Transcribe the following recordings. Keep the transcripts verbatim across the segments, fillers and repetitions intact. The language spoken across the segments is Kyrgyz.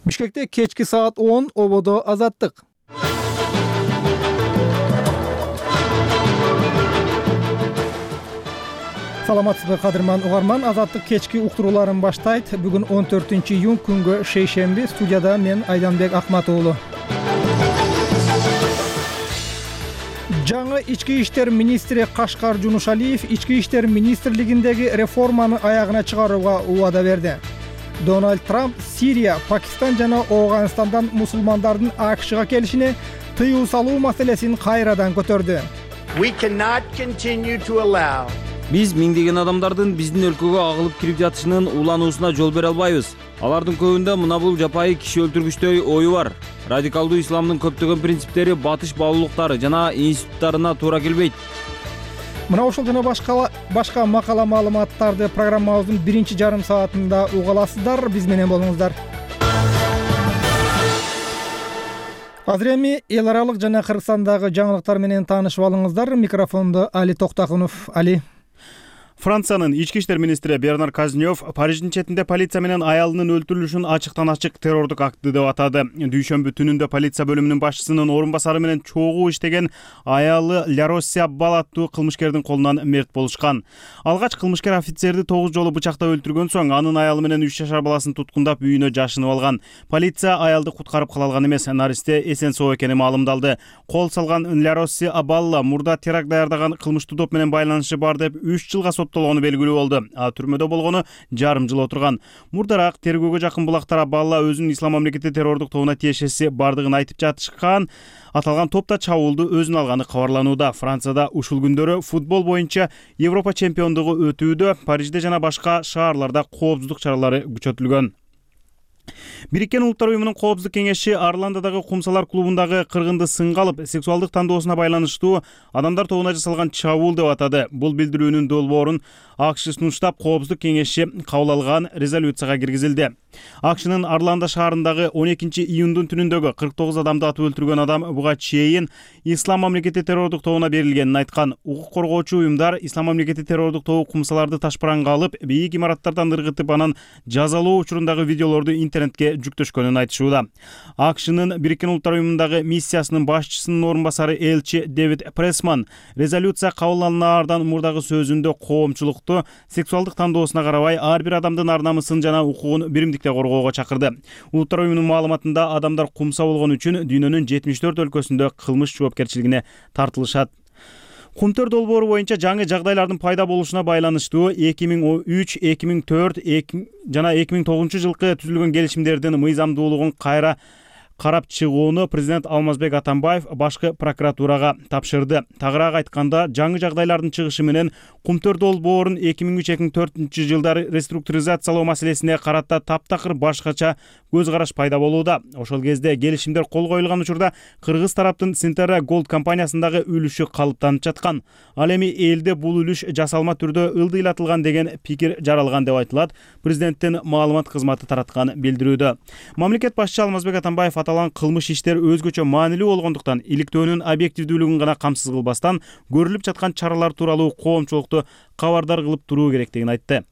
Бишкекте кечки саат он ободо Азаттык. Саламатсызбы кадырман угарман, Азаттык кечки уктурууларын баштайт. Бүгүн он төртүнчү июнь күнгө шейшемби. Студияда мен Айданбек Акмат уулу. Жаңы ички иштер министри Кашкар Жунушалиев ички иштер министрлигиндеги реформаны аягына чыгарууга убада берди. Дональд Трамп Сирия, Пакистан жана Ооганстандан мусулмандардын АКШга келишине тыюу салуу маселесин кайрадан көтөрдү. We cannot continue to allow Биз миңдеген адамдардын биздин өлкөгө агылып кирип жатышынын улануусуна жол бере албайбыз. Алардын көбүндө мына бул жапайы киши өлтүргүчтөй ою бар. Радикалдуу исламдын көптөгөн принциптери батыш баалуулуктары жана институттарына туура келбейт. Мына ошол жана башка башка макала маалыматтарды программабыздын биринчи жарым саатында уга аласыздар. Биз менен болуңуздар. Азыр эми эл аралык жана Кыргызстандагы жаңылыктар менен таанышып алыңыздар. Микрофондо Али Токтакунов. Али. Франциянын ички иштер министри Бернар Казнёв Париждин четинде полиция менен аялынын өлтүрүлүшүн ачыктан ачык террордук акты деп атады. Дүйшөмбү түнүндө полиция бөлүмүнүн башчысынын орун басары менен чогуу иштеген аялы Ляросси Аббал аттуу кылмышкердин колунан мерт болушкан. Алгач кылмышкер офицерди тогуз жолу бычактап өлтүргөн соң анын аялы менен үч жашар баласын туткундап үйүнө жашынып алган. Полиция аялды куткарып кала алган эмес, наристе эсен соо экени маалымдалды. Кол салган Ляросси Аббал мурда теракт даярдаган кылмыштуу топ менен байланышы бар деп үч жылга соттолгону белгилүү болду. А түрмөдө болгону жарым жыл отурган. Мурдараак тергөөгө жакын булактар Аббалла өзүнүн Ислам мамлекети террордук тобуна тиешеси бардыгын айтып жатышкан. Аталган топта чабуулду өзүнө алганы кабарланууда. Францияда ушул күндөрү футбол боюнча Европа чемпиондугу өтүүдө. Парижде жана башка шаарларда коопсуздук чаралары күчөтүлгөн. Бириккен Улуттар уюмунун коопсуздук кеңеши Орландодогу кумсалар клубундагы кыргынды сынга алып, сексуалдык тандоосуна байланыштуу адамдар тобуна жасалган чабуул деп атады. Бул билдирүүнүн долбоорун АКШ штаб коопсуздук кеңеши кабыл алган резолюцияга киргизилди. АКШнын Орландо шаарындагы он экинчи июндун түнүндөгү кырк тогуз адамды атып өлтүргөн адам буга чейин Ислам мамлекети террордук тобуна берилгенин айткан. Укук коргоочу уюмдар Ислам мамлекети террордук тобу кумсаларды ташпаранга алып, бийик имараттардан ыргытып, анан жазалоо учурундагы видеолорду интернетке жүктөшкөнүн айтышууда. АКШнын Бириккен Улуттар уюмундагы миссиясынын башчысынын орун басары элчи Дэвид Прессман резолюция кабыл алынаардан мурдагы сөзүндө коомчулукту сексуалдык тандоосуна карабай ар бир адамдын ар намысын жана укугун биримдикте коргоого чакырды. Улуттар уюмунун маалыматында адамдар кумса болгон үчүн дүйнөнүн жетимиш төрт өлкөсүндө кылмыш жоопкерчилигине тартылышат. Кумтөр долбоору боюнча жаңы жагдайлардын пайда болушуна байланыштуу эки миң үч, эки миң төрт жана эки миң тогузунчу жылкы түзүлгөн келишимдердин мыйзамдуулугун кайра карап чыгууну президент Алмазбек Атамбаев башкы прокуратурага тапшырды. Тагыраак айтканда, жаңы жагдайлардын чыгышы менен Кумтөр долбоорун эки миң үч эки миң төртүнчү жылдары реструктуризациялоо маселесине карата таптакыр башкача көз караш пайда болууда. Ошол кезде келишимдер кол коюлган учурда кыргыз тараптын Синтера Gold компаниясындагы үлүшү калыптанып жаткан. Ал эми элде бул үлүш жасалма түрдө ылдыйлатылган деген пикир жаралган деп айтылат. Президенттин маалымат кызматы тараткан билдирүүдө. Мамлекет башчысы Алмазбек Атамбаев аталган кылмыш иштер өзгөчө маанилүү болгондуктан иликтөөнүн объективдүүлүгүн гана камсыз кылбастан көрүлүп жаткан чаралар тууралуу коомчулукту кабардар кылып туруу керектигин айтты.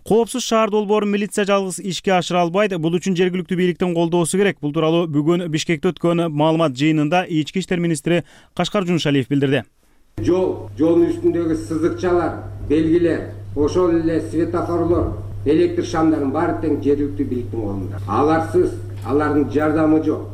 Коопсуз шаар долбоорун милиция жалгыз ишке ашыра албайт. Бул үчүн жергиликтүү бийликтин колдоосу керек. Бул тууралуу бүгүн Бишкекте өткөн маалымат жыйынында ички иштер министри Кашкар Жунушалиев билдирди. Жол, жолдун үстүндөгү сызыкчалар, белгилер, ошол эле светофорлор, электр шамдардын баары тең жергиликтүү бийликтин колунда. Аларсыз алардын жардамы жок.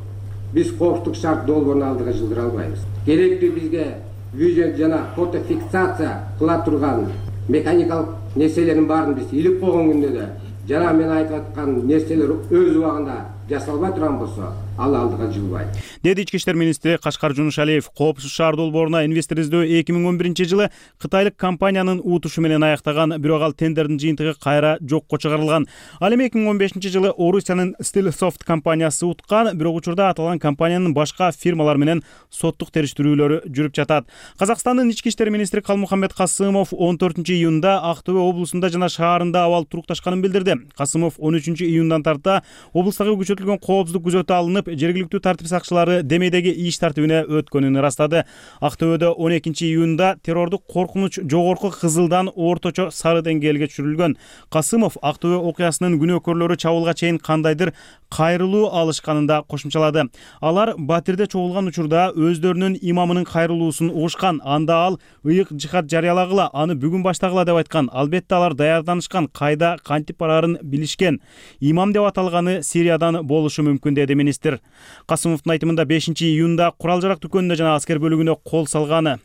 Биз коопсуздук шарт долбоорун алдыга жылдыра албайбыз. Керектүү бизге видео жана фотофиксация кыла турган механикалык нерселердин баарын биз илип койгон күндө да жана мен айтып аткан нерселер өз убагында жасалбай турган болсо, ал алдыга жылбайт. Деди ички иштер министри Кашкар Жунушалиев. Коопсуз шаар долбооруна инвестор издөө эки миң он биринчи жылы кытайлык компаниянын утушу менен аяктаган, бирок ал тендердин жыйынтыгы кайра жокко чыгарылган. Ал эми эки миң он бешинчи жылы Орусиянын Stillsoft компаниясы уткан, бирок учурда аталган компаниянын башка фирмалар менен соттук териштирүүлөрү жүрүп жатат. Казакстандын ички иштер министри Калмухаммед Касымов он төртүнчү июнда Ак Төбө облусунда жана шаарында абал турукташканын билдирди. Касымов он үчүнчү июндан тарта облустагы күчөтүлгөн коопсуздук күзөтү алынып, жергиликтүү тартип сакчылары демейдеги иш тартибине өткөнүн ырастады. Ак Төбөдө он экинчи июнда террордук коркунуч жогорку кызылдан орточо сары деңгээлге түшүрүлгөн. Касымов Ак Төбө окуясынын күнөөкөрлөрү чабуулга чейин кандайдыр кайрылуу алышканын да кошумчалады. Алар Батирде чогулган учурда өздөрүнүн имамынын кайрылуусун угушкан. Анда ал ыйык жихад жарыялагыла, аны бүгүн баштагыла деп айткан. Албетте алар даярданышкан, кайда кантип барарын билишкен. Имам деп аталганы Сириядан болушу мүмкүн, деди министр. Касымовдун айтымында бешинчи июнда курал-жарак дүкөнүнө жана аскер бөлүгүнө кол салганы.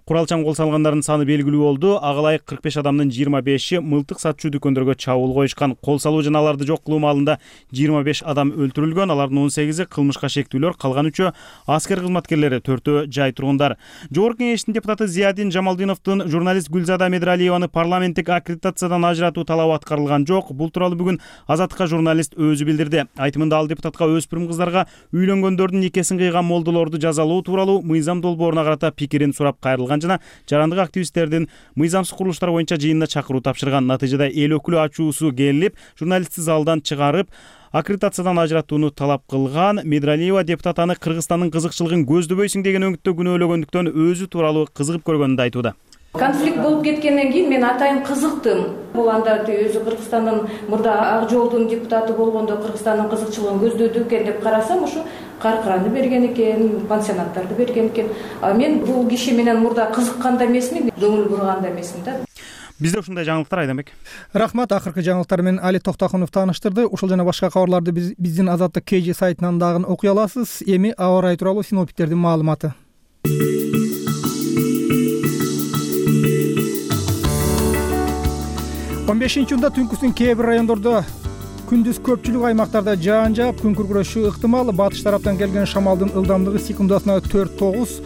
Куралчан кол салгандардын саны белгилүү болду. Ага ылайык кырк беш адамдын жыйырма беши мылтык сатчу дүкөндөргө чабуул коюшкан. Кол салуу жана аларды жок кылуу маалында жыйырма беш адам өлтүрүлгөн. Алардын он сегизи кылмышка шектүүлөр, калган үчөө аскер кызматкерлери, төртөө жай тургундар. Жогорку кеңештин депутаты Зиядин Жамалдиновдун журналист Гүлзада Медиралиеваны парламенттик аккредитациядан ажыратуу талабы аткарылган жок. Бул тууралуу бүгүн Азаттыкка журналист өзү билдирди. Айтымында ал депутатка өспүрүм кыздарга үйлөнгөндөрдүн никесин кыйган молдолорду жазалоо тууралуу мыйзам долбооруна карата пикирин сурап кайрылган жана жарандык активисттердин мыйзамсыз курулуштар боюнча жыйынына чакыруу тапшырган. Натыйжада эл өкүлү ачуусу келип, журналистти залдан чыгарып, аккредитациядан ажыратууну талап кылган. Медиралиева депутат аны Кыргызстандын кызыкчылыгын көздөбөйсүң деген өңүттө күнөөлөгөндүктөн өзү тууралуу кызыгып көргөнүн айtuуда. Конфликт болуп кеткенден кийин мен атайын кызыктым. Бул анда өзү Кыргызстандын мурда Ак жолдун депутаты болгондо Кыргызстандын кызыкчылыгын көздөдү экен деп карасам, ушу каркыраны берген экен, пансионаттарды берген экен. А мен бул киши менен мурда кызыккан да эмесмин, көңүл бурган да эмесмин да. Бизде ушундай жаңылыктар, Айданбек. Рахмат. Акыркы жаңылыктар менен Али Токтохунов тааныштырды. Ушул жана башка кабарларды биз биздин Азаттык кей жи сайтынан дагы окуй аласыз. Эми аба ырайы тууралуу синоптиктердин маалыматы. он бешинчи июнда түнкүсүн кээ бир райондордо, күндүз көпчүлүк аймактарда жаан жаап, күн күркүрөшү ыктымал. Батыш тараптан келген шамалдын ылдамдыгы секундасына төрт тогуз,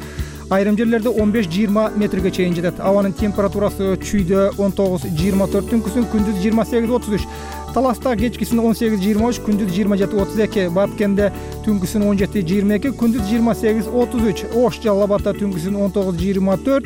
айрым жерлерде он беш жыйырма метрге чейин жетет. Абанын температурасы чүйдө он тогуз жыйырма төрт, түнкүсүн күндүз жыйырма сегиз отуз үч. Таласта кечкисин он сегиз жыйырма үч, күндүз жыйырма жети отуз эки. Баткенде түнкүсүн он жети жыйырма эки, күндүз жыйырма сегиз отуз үч. Ош Жалал Абадта түнкүсүн он тогуз жыйырма төрт,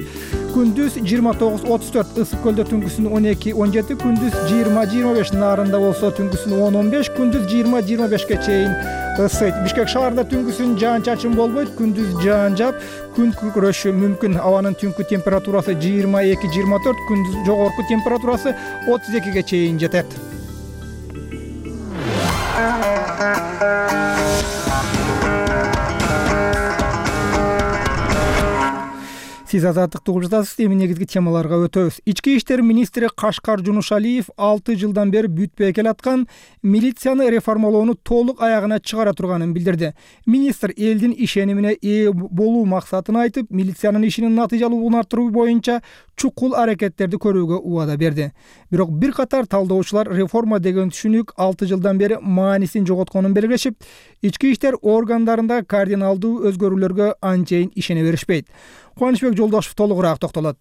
күндүз жыйырма тогуз отуз төрт. Ысык көлдө түнкүсүн он эки он жети, күндүз жыйырма жыйырма беш. Нарында болсо түнкүсүн он он беш, күндүз жыйырма жыйырма бешке чейин ысыйт. Бишкек шаарында түнкүсүн жаан чачын болбойт, күндүз жаан жаап, күн күркүрөшү мүмкүн. Абанын түнкү температурасы жыйырма эки жыйырма төрт, күндүз жогорку температурасы отуз экиге чейин жетет. Сиз Азаттыкты угуп жатасыз. Эми негизги темаларга өтөбүз. Ички иштер министри Кашкар Жунушалиев алты жылдан бери бүтпөй келаткан милицияны реформалоону толук аягына чыгара турганын билдирди. Министр элдин ишенимине ээ болуу максатын айтып, милициянын ишинин натыйжалуулугун арттыруу боюнча чукул аракеттерди көрүүгө убада берди. Бирок бир катар талдоочулар реформа деген түшүнүк алты жылдан бери маанисин жоготконун белгилешип, ички иштер органдарында кардиналдуу өзгөрүүлөргө анчейин ишене беришпейт. Кубанычбек Жолдошев толугураак токтолот.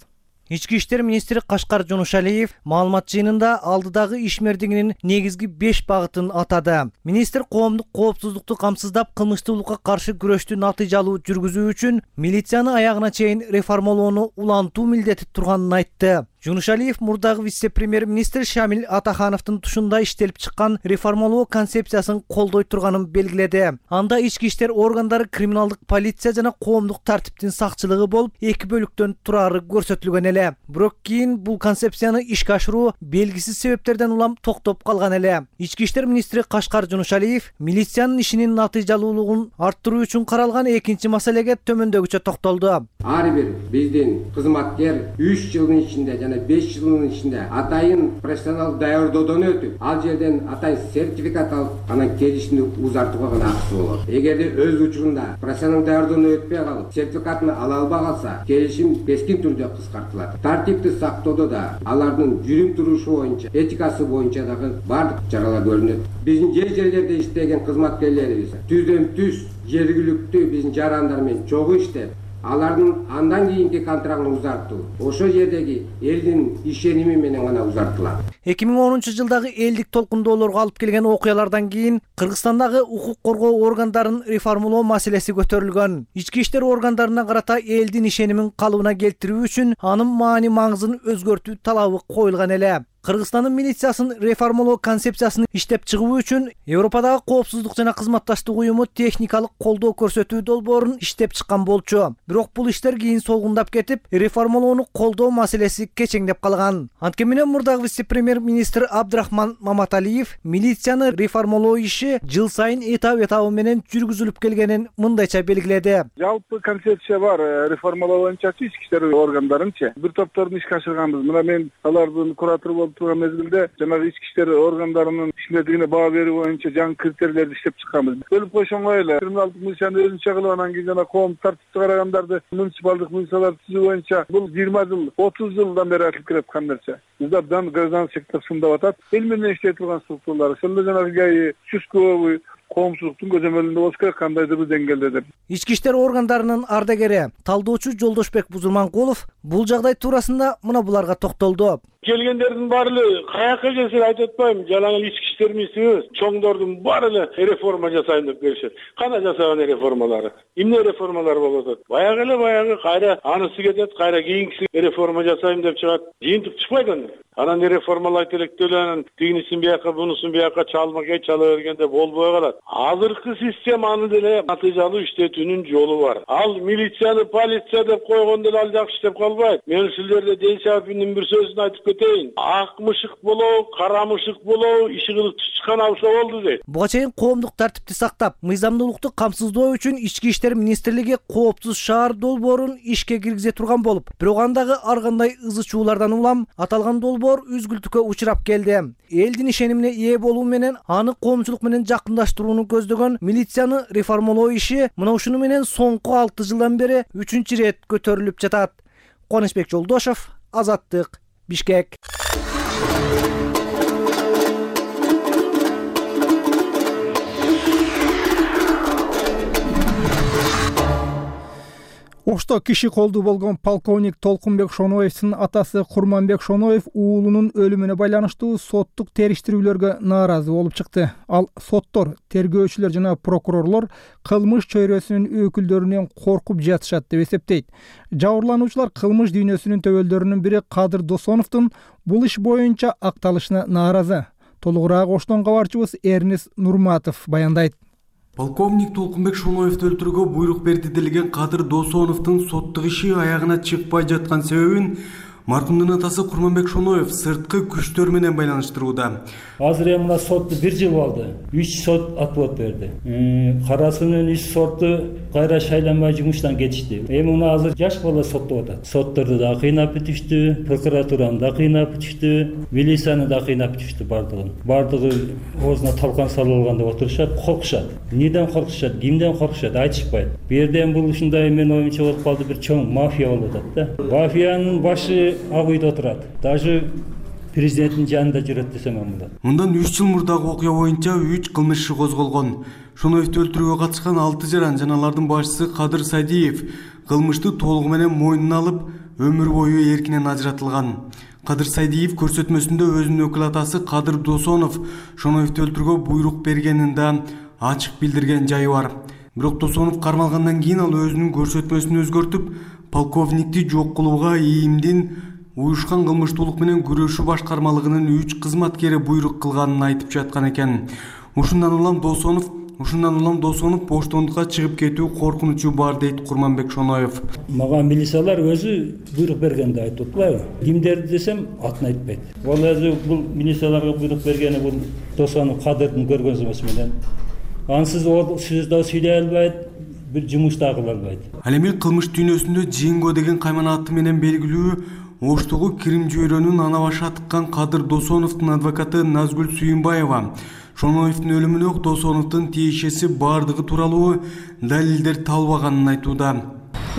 Ички иштер министри Кашкар Жунушалиев маалымат жыйынында алдыдагы ишмердигинин негизги беш багытын атады. Министр коомдук коопсуздукту камсыздап, кылмыштуулукка каршы күрөштү натыйжалуу жүргүзүү үчүн милицияны аягына чейин реформалоону улантуу милдети турганын айтты. Жунушалиев мурдагы вице-премьер-министр Шамил Атахановдун тушунда иштелип чыккан реформалоо концепциясын колдой турганын белгиледи. Анда ички иштер органдары, криминалдык полиция жана коомдук тартиптин сакчылыгы болуп эки бөлүктөн турары көрсөтүлгөн эле. Бирок кийин бул концепцияны ишке ашыруу белгисиз себептерден улам токтоп калган эле. Ички иштер министри Кашкар Жунушалиев милициянын ишинин натыйжалуулугун арттыруу үчүн каралган экинчи маселеге төмөндөгүчө токтолду. Ар бир биздин кызматкер үч жылдын ичинде жана беш жылдын ичинде атайын профессионал даярдоодон өтүп, ал жерден атайын сертификат алып, анан келишимди узартууга гана акысы болот. Эгерде өз учурунда профессионал даярдоодон өтпөй калып, сертификатын ала албай калса, келишим кескин түрдө кыскартылат. Тартипти сактоодо да алардын жүрүм турушу боюнча, этикасы боюнча дагы бардык чаралар көрүнөт. Биздин жер жерлерде иштеген кызматкерлерибиз түздөн түз жергиликтүү биздин жарандар менен чогуу иштеп, алардын андан кийинки контрактын узартуу ошол жердеги элдин ишеними менен гана узартылат. эки миң онунчу жылдагы элдик толкундоолорго алып келген окуялардан кийин Кыргызстандагы укук коргоо органдарын реформалоо маселеси көтөрүлгөн. Ички иштер органдарына карата элдин ишенимин калыбына келтирүү үчүн анын маани маңызын өзгөртүү талабы коюлган эле. Кыргызстандын милициясын реформалоо концепциясын иштеп чыгуу үчүн Европадагы коопсуздук жана кызматташтык уюму техникалык колдоо көрсөтүү долбоорун иштеп чыккан болчу. Бирок бул иштер кийин солгундап кетип, реформалоону колдоо маселеси кечеңдеп калган. Анткени менен мурдагы вице-премьер-министр Абдрахман Маматалиев милицияны реформалоо иши жыл сайын этап этабы менен жүргүзүлүп келгенин мындайча белгиледи. Жалпы концепция бар, реформалоо боюнча ички иштер органдарынчы бир топторун ишке ашырганбыз. Мына мен алардын куратору болуп турган мезгилде жанагы ички иштер органдарынын ишмердигине баа берүү боюнча жаңы критерийлерди иштеп чыкканбыз. Бөлүп койшоңой эле криминалдык милицияны өзүнчө кылып, анан кийин жана коомдук тартипти карагандарды муниципалдык милицияларды түзүү боюнча бул жыйырма жыл, отуз жылдан бери айтылып келаткан нерсе. Биздардан гражданский сектор сындап атат. Эл менен иштей турган структуралар, ошондо жанагы ГАИ, участковый коомчулуктун көзөмөлүндө болуш керек, кандайдыр бир деңгээлде деп. Ички иштер органдарынын ардагери, талдоочу Жолдошбек Бузурманкулов бул жагдай туурасында мына буларга токтолду. Келгендердин баары эле каяка келсе айтып атпайм, жалаң эле ички иштер министрибиз, чоңдордун баары эле реформа жасайм деп келишет. Кана жасаган реформалары? Эмне реформалар болуп атат? Баягы эле баягы кайра анысы кетет, кайра кийинкиси реформа жасайм деп чыгат. Жыйынтык чыкпайт аны. Анан реформалайт элек деле анан тигинисин бияка, бунусун бияка чалмакай чала бергенде болбой калат. Азыркы системаны деле натыйжалуу иштетүүнүн жолу бар. Ал милицияны полиция деп койгондо ал жакшы иштеп калбайт. Мен силерде Деншаевдин бир сөзүн айтып кетейин. Ак мышык болоо, кара мышык болоо, иши кылып чыккан алса болду дейт. Буга чейин коомдук тартипти сактап, мыйзамдуулукту камсыздоо үчүн Ички иштер министрлиги коопсуз шаар долбоорун ишке киргизе турган болуп, бирок андагы ар кандай ызы чуулардан улам аталган долбоор үзгүлтүккө учурап келди. Элдин ишенимине ээ болуу менен аны коомчулук менен жакындаштырууну көздөгөн милицияны реформалоо иши мына ушуну менен соңку алты жылдан бери үчүнчү рет көтөрүлүп жатат. Конешбек Жолдошов, Азаттык, Бишкек. Ошто киши колду болгон полковник Толкунбек Шоноевдин атасы Курманбек Шоноев уулунун өлүмүнө байланыштуу соттук териштирүүлөргө нааразы болуп чыкты. Ал соттор, тергөөчүлөр жана прокурорлор кылмыш чөйрөсүнүн өкүлдөрүнөн коркуп жатышат деп эсептейт. Жабырлануучулар кылмыш дүйнөсүнүн төбөлдөрүнүн бири Кадыр Досоновдун бул иш боюнча акталышына нааразы. Толугураак Оштон кабарчыбыз Эрнес Нурматов баяндайт. Полковник Толкунбек Шоноевди өлтүрүүгө буйрук берди делген Кадыр Досоновдун соттук иши аягына чыкпай жаткан себебин маркумдун атасы Курманбек Шоноев сырткы күчтөр менен байланыштырууда. Азыр эми мына соту бир жыл болду. үч сот отвод берди. Карасынын үч соту кайра шайланбай жумуштан кетишти. Эми мына азыр жаш бала соттоп атат. Сотторду да кыйнап бүтүштү, прокуратураны да кыйнап бүтүштү, милицияны да кыйнап бүтүштү бардыгын. Бардыгы оозуна талкан салып алган деп отурушат, коркушат. Эмнеден коркушат, кимден коркушат айтышпайт. Бу жерден бул ушундай мен оюмча болуп калды, бир чоң мафия болуп атат да. Мафиянын башы ак үйдө отурат. Даже президенттин жанында жүрөт десем мында. Мындан үч жыл мурдагы окуя боюнча үч кылмыш иши козголгон. Шоноевди өлтүрүүгө катышкан алты жаран жана алардын башчысы Кадыр Садиев кылмышты толугу менен мойнуна алып, өмүр бою эркинен ажыратылган. Кадыр Садиев көрсөтмөсүндө өзүнүн өкүл атасы Кадыр Досонов Шоноевди өлтүрүүгө буйрук бергенин да ачык билдирген жайы бар. Бирок Досонов кармалгандан кийин ал өзүнүн көрсөтмөсүн өзгөртүп, полковникти жок кылууга ИИМдин уюшкан кылмыштуулук менен күрөшүү башкармалыгынын үч кызматкери буйрук кылганын айтып жаткан экен. Ушундан улам Досонов Ушундан улам Досонов боштондукка чыгып кетүү коркунучу бар дейт Курманбек Шоноев. Мага милициялар өзү буйрук бергенди айтып атпайбы? Кимдерди десем атын айтпайт. Ал өзү бул милицияларга буйрук бергени бул Досонов Кадырдын көргөзмөсү менен. Ансыз ол сөз да сүйлөй албайт, бир жумуш да кыла албайт. Ал эми кылмыш дүйнөсүндө Жинго деген каймана аты менен белгилүү Оштогу Кирим жүйрөнүн ана башы атыккан Кадыр Досоновдун адвокаты Назгүл Сүйүнбаева Шоноевдин өлүмүнө Досоновдун тиешеси бардыгы тууралуу далилдер табылбаганын айтууда.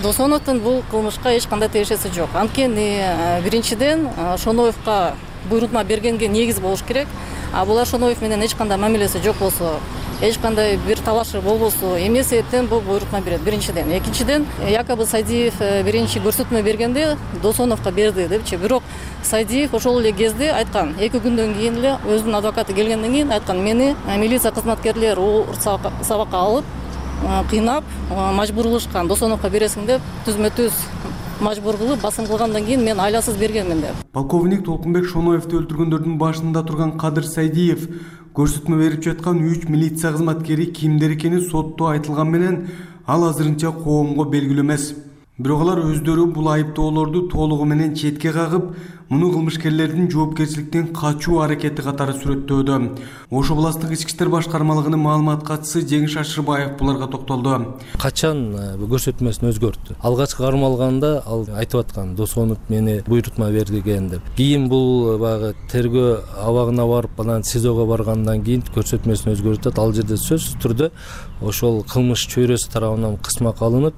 Досоновдун бул кылмышка эч кандай тиешеси жок. Анткени биринчиден Шоноевго буйрутма бергенге негиз болуш керек. А булар Шоноев менен эч кандай мамилеси жок болсо, эч кандай бир талашы болбосо, эмне себептен бул буйрутма берет? Биринчиден. Экинчиден, якобы Садиев биринчи көрсөтмө бергенде Досоновго берди депчи. Бирок Садиев ошол эле кезде айткан, эки күндөн кийин эле өзүнүн адвокаты келгенден кийин айткан, мени милиция кызматкерлери сабакка алып, кыйнап, мажбурлашкан, Досоновго бересиң деп түзмө-түз мажбур кылып басым кылгандан кийин мен айласыз бергенмин деп. Полковник Толкунбек Шоноевди өлтүргөндөрдүн башында турган Кадыр Сайдиев көрсөтмө берип жаткан үч милиция кызматкери кимдер экени сотто айтылган менен ал азырынча коомго белгилүү эмес. Бирок алар өздөрү бул айыптоолорду толугу менен четке кагып, муну кылмышкерлердин жоопкерчиликтен качуу аракети катары сүрөттөөдө. Ош областык ички иштер башкармалыгынын маалымат катчысы Жеңиш Ашырбаев буларга токтолду. Качан көрсөтмөсүн өзгөрттү? Алгачкы кармалганда ал айтып аткан Досонов мени буйрутма берди деген деп. Кийин бул баягы тергөө абагына барып, анан СИЗОго баргандан кийин көрсөтмөсүн өзгөртөт. Ал жерде сөзсүз түрдө ошол кылмыш чөйрөсү тарабынан кысмак алынып,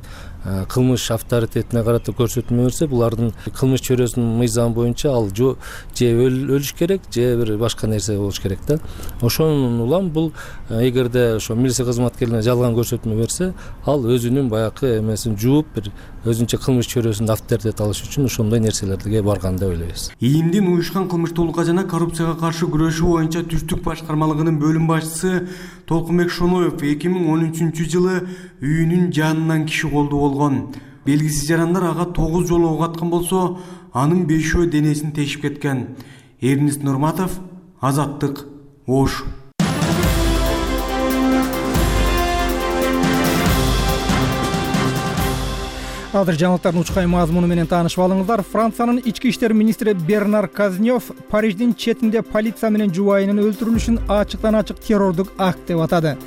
кылмыш авторитетине карата көрсөтмө берсе, булардын кылмыш чөйрөсүнүн мыйзамы боюнча ал же өлүш керек, же бир башка нерсе болуш керек да. Ошонун улам бул эгерде ошо милиция кызматкерлерине жалган көрсөтмө берсе, ал өзүнүн баягы эмесин жууп, бир өзүнчө кылмыш чөйрөсүндө авторитет алыш үчүн ошондой нерселерге барган деп ойлойбуз. ИИМдин уюшкан кылмыштуулукка жана коррупцияга каршы күрөшүү боюнча түштүк башкармалыгынын бөлүм башчысы Толкунбек Шоноев эки миң он үчүнчү жылы үйүнүн жанынан киши колдуу болгон. Белгисиз жарандар ага тогуз жолу ок аткан болсо, анын бешөө денесин тешип кеткен. Эрнист Нурматов, Азаттык, Ош. Азыр жаңылыктардын учкай мазмуну менен таанышып алыңыздар. Франциянын ички иштер министри Бернар Казнёв Париждин четинде полиция менен жубайынын өлтүрүлүшүн ачыктан ачык террордук акт деп атады.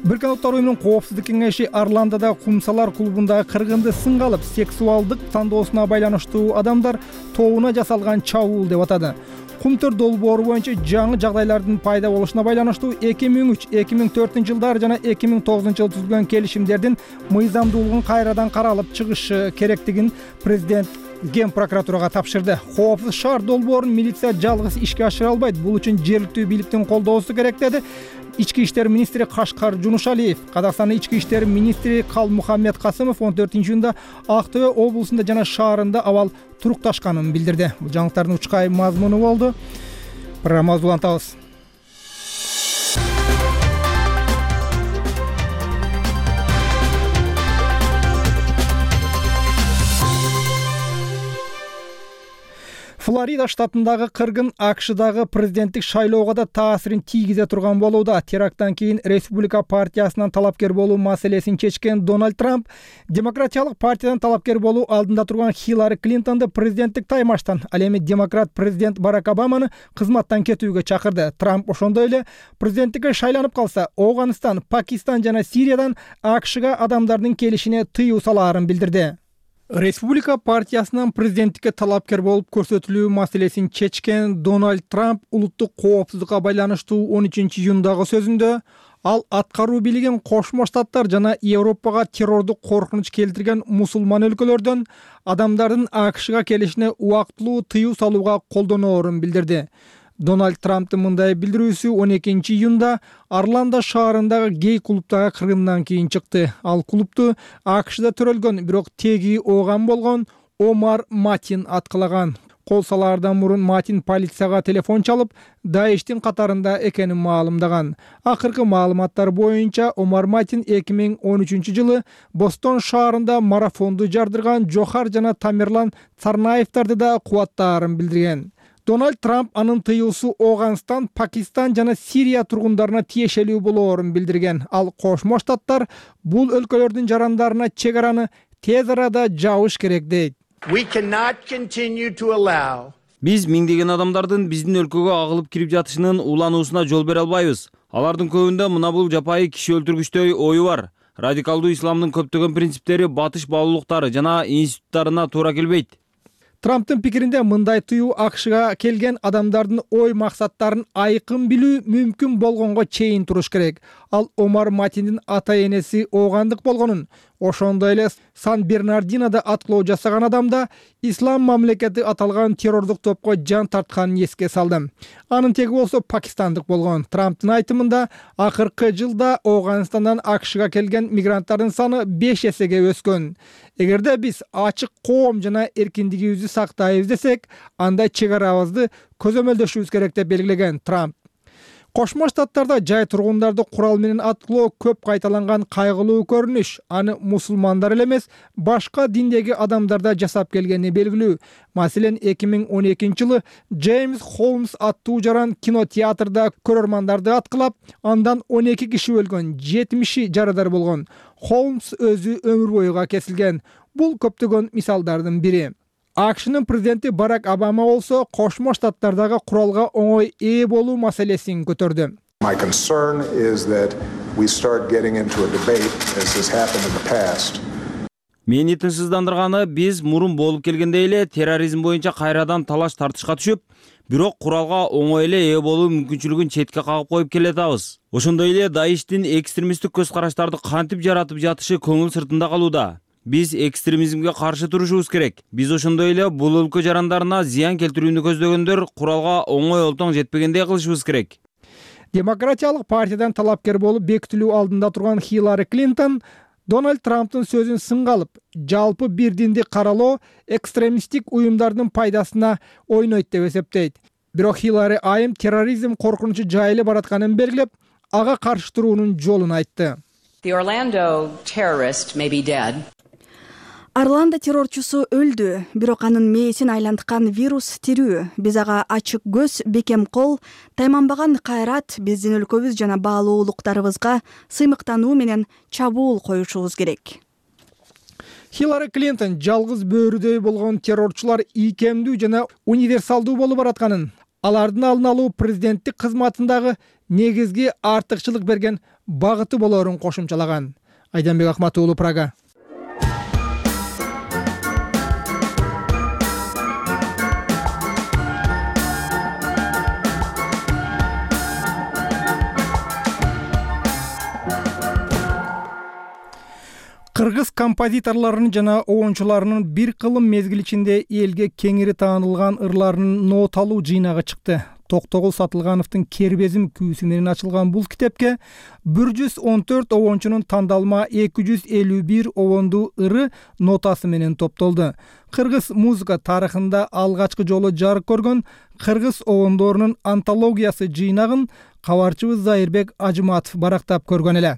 Бириккен Улуттар уюмунун коопсуздук кеңеши Орландода кумсалар клубундагы кыргынды сынга алып, сексуалдык тандоосуна байланыштуу адамдар тобуна жасалган чабуул деп атады. Кумтөр долбоору боюнча жаңы жагдайлардын пайда болушуна байланыштуу эки миң үч эки миң төртүнчү жылдары жана эки миң тогузунчу жылы түзүлгөн келишимдердин мыйзамдуулугун кайрадан каралып чыгышы керектигин президент Ген прокуратурага тапшырды. Коопсуз шаар долбоорун милиция жалгыз ишке ашыра албайт. Бул үчүн жергиликтүү бийликтин колдоосу керек деди ички иштер министри Кашкар Жунушалиев. Казакстандын ички иштер министри Калмухаммед Касымов он төртүнчү июнда Ак Төбө облусунда жана шаарында абал турукташканын билдирди. Бул жаңылыктардын учкай мазмуну болду. Программабызды улантабыз. Флорида штатындагы кыргын АКШдагы президенттик шайлоого да таасирин тийгизе турган болууда. Теракттан кийин Республика партиясынан талапкер болуу маселесин чечкен Дональд Трамп Демократиялык партиядан талапкер болуу алдында турган Хиллари Клинтонду президенттик таймаштан, ал эми демократ президент Барак Обаманы кызматтан кетүүгө чакырды. Трамп ошондой эле президенттикке шайланып калса, Афганистан, Пакистан жана Сириядан АКШга адамдардын келишине тыюу салаарын билдирди. Республика партиясынан президенттикке талапкер болуп көрсөтүлүү маселесин чечкен Дональд Трамп улуттук коопсуздукка байланыштуу он үчүнчү июндагы сөзүндө ал аткаруу бийлигин Кошмо Штаттар жана Европага террордук коркунуч келтирген мусулман өлкөлөрдөн адамдардын АКШга келишине убактылуу тыюу салууга колдоноорун билдирди. Дональд Трамптын мындай билдирүүсү он экинчи июнда Орландо шаарындагы гей клубтагы кыргындан кийин чыкты. Ал клубту АКШда төрөлгөн, бирок теги ооган болгон Омар Матин аткалаган. Кол салаардан мурун Матин полицияга телефон чалып, Даиштин катарында экенин маалымдаган. Акыркы маалыматтар боюнча Омар Матин эки миң он үчүнчү жылы Бостон шаарында марафонду жардырган Жохар жана Тамерлан Царнаевдарды да кубаттаарын билдирген. Дональд Трамп анын тыюусу Афганистан, Пакистан жана Сирия тургундарына тиешелүү болоорун билдирген. Ал Кошмо Штаттар бул өлкөлөрдүн жарандарына чек араны тез арада жабыш керек дейт. We cannot continue to allow Биз миңдеген адамдардын биздин өлкөгө агылып кирип жатышынын улануусуна жол бере албайбыз. Алардын көбүндө мына бул жапайы киши өлтүргүчтөй ою бар. Радикалдуу исламдын көптөгөн принциптери батыш баалуулуктары жана институттарына туура келбейт. Трамптын пикиринде мындай тыюу АКШга келген адамдардын ой максаттарын айкын билүү мүмкүн болгонго чейин туруш керек. Ал Омар Матиндин ата-энеси оогандык болгонун, ошондой эле Сан-Бернардинода аткылоо жасаган адамда Ислам мамлекети аталган террордук топко жан тартканын эске салды. Анын теги болсо пакистандык болгон. Трамптын айтымында акыркы жылда Афганистандан АКШга келген мигранттардын саны беш эсеге өскөн. Эгерде биз ачык коом жана эркиндигибизди сактайбыз десек, анда чек арабызды көзөмөлдөшүбүз керек деп белгилеген Трамп. Кошмо Штаттарда жай тургундарды курал менен аткылоо көп кайталанган кайгылуу көрүнүш. Аны мусулмандар эле эмес, башка диндеги адамдар да жасап келгени белгилүү. Маселен, эки миң он экинчи жылы Джеймс Холмс аттуу жаран кинотеатрда көрөрмандарды аткылап, андан он эки киши өлгөн, жетимиши жарадар болгон. Холмс өзү өмүр бою кесилген. Бул көптөгөн мисалдардын бири. АКШнын президенти Барак Обама болсо Кошмо Штаттардагы куралга оңой ээ болуу маселесин көтөрдү. My concern is that we start getting into a debate as has happened in the past. Мени тынчсыздандырганы, биз мурун болуп келгендей эле терроризм боюнча кайрадан талаш тартышка түшүп, бирок куралга оңой эле ээ болуу мүмкүнчүлүгүн четке кагып коюп келатабыз. Ошондой эле Даиштин экстремисттик көз караштарды кантип жаратып жатышы көңүл сыртында калууда. Биз экстремизмге каршы турушубуз керек. Биз ошондой эле бул өлкө жарандарына зыян келтирүүнү көздөгөндөр куралга оңой олтоң жетпегендей кылышыбыз керек. Демократиялык партиядан талапкер болуп бекитилүү алдында турган Хиллари Клинтон Дональд Трамптын сөзүн сынга алып, жалпы бир динди каралоо экстремисттик уюмдардын пайдасына ойнойт деп эсептейт. Бирок Хиллари айым терроризм коркунучу жайылып баратканын белгилеп, ага каршы туруунун жолун айтты. The Orlando terrorist may be dead. Орландо террорчусу өлдү, бирок анын мээсин айланткан вирус тирүү. Биз ага ачык көз, бекем кол, тайманбаган кайрат, биздин өлкөбүз жана баалуу улуктарыбызга сыймыктануу менен чабуул коюшубуз керек. Хиллари Клинтон жалгыз бөөрүдөй болгон террорчулар ийкемдүү жана универсалдуу болуп баратканын, алардын алдын алуу президенттик кызматындагы негизги артыкчылык берген багыты болорун кошумчалаган. Айданбек Акмат уулу, Прага. Кыргыз композиторлорунун жана оончуларынын бир кылым мезгил ичинде элге кеңири таанылган ырларынын ноталуу жыйнагы чыкты. Токтогул Сатылгановдун Кербезим күүсү менен ачылган бул китепке бир жүз он төрт оончунун тандалма эки жүз элүү бир оондуу ыры нотасы менен топтолду. Кыргыз музыка тарыхында алгачкы жолу жарык көргөн кыргыз оондорунун антологиясы жыйнагын кабарчыбыз Зайырбек Ажыматов барактап көргөн эле.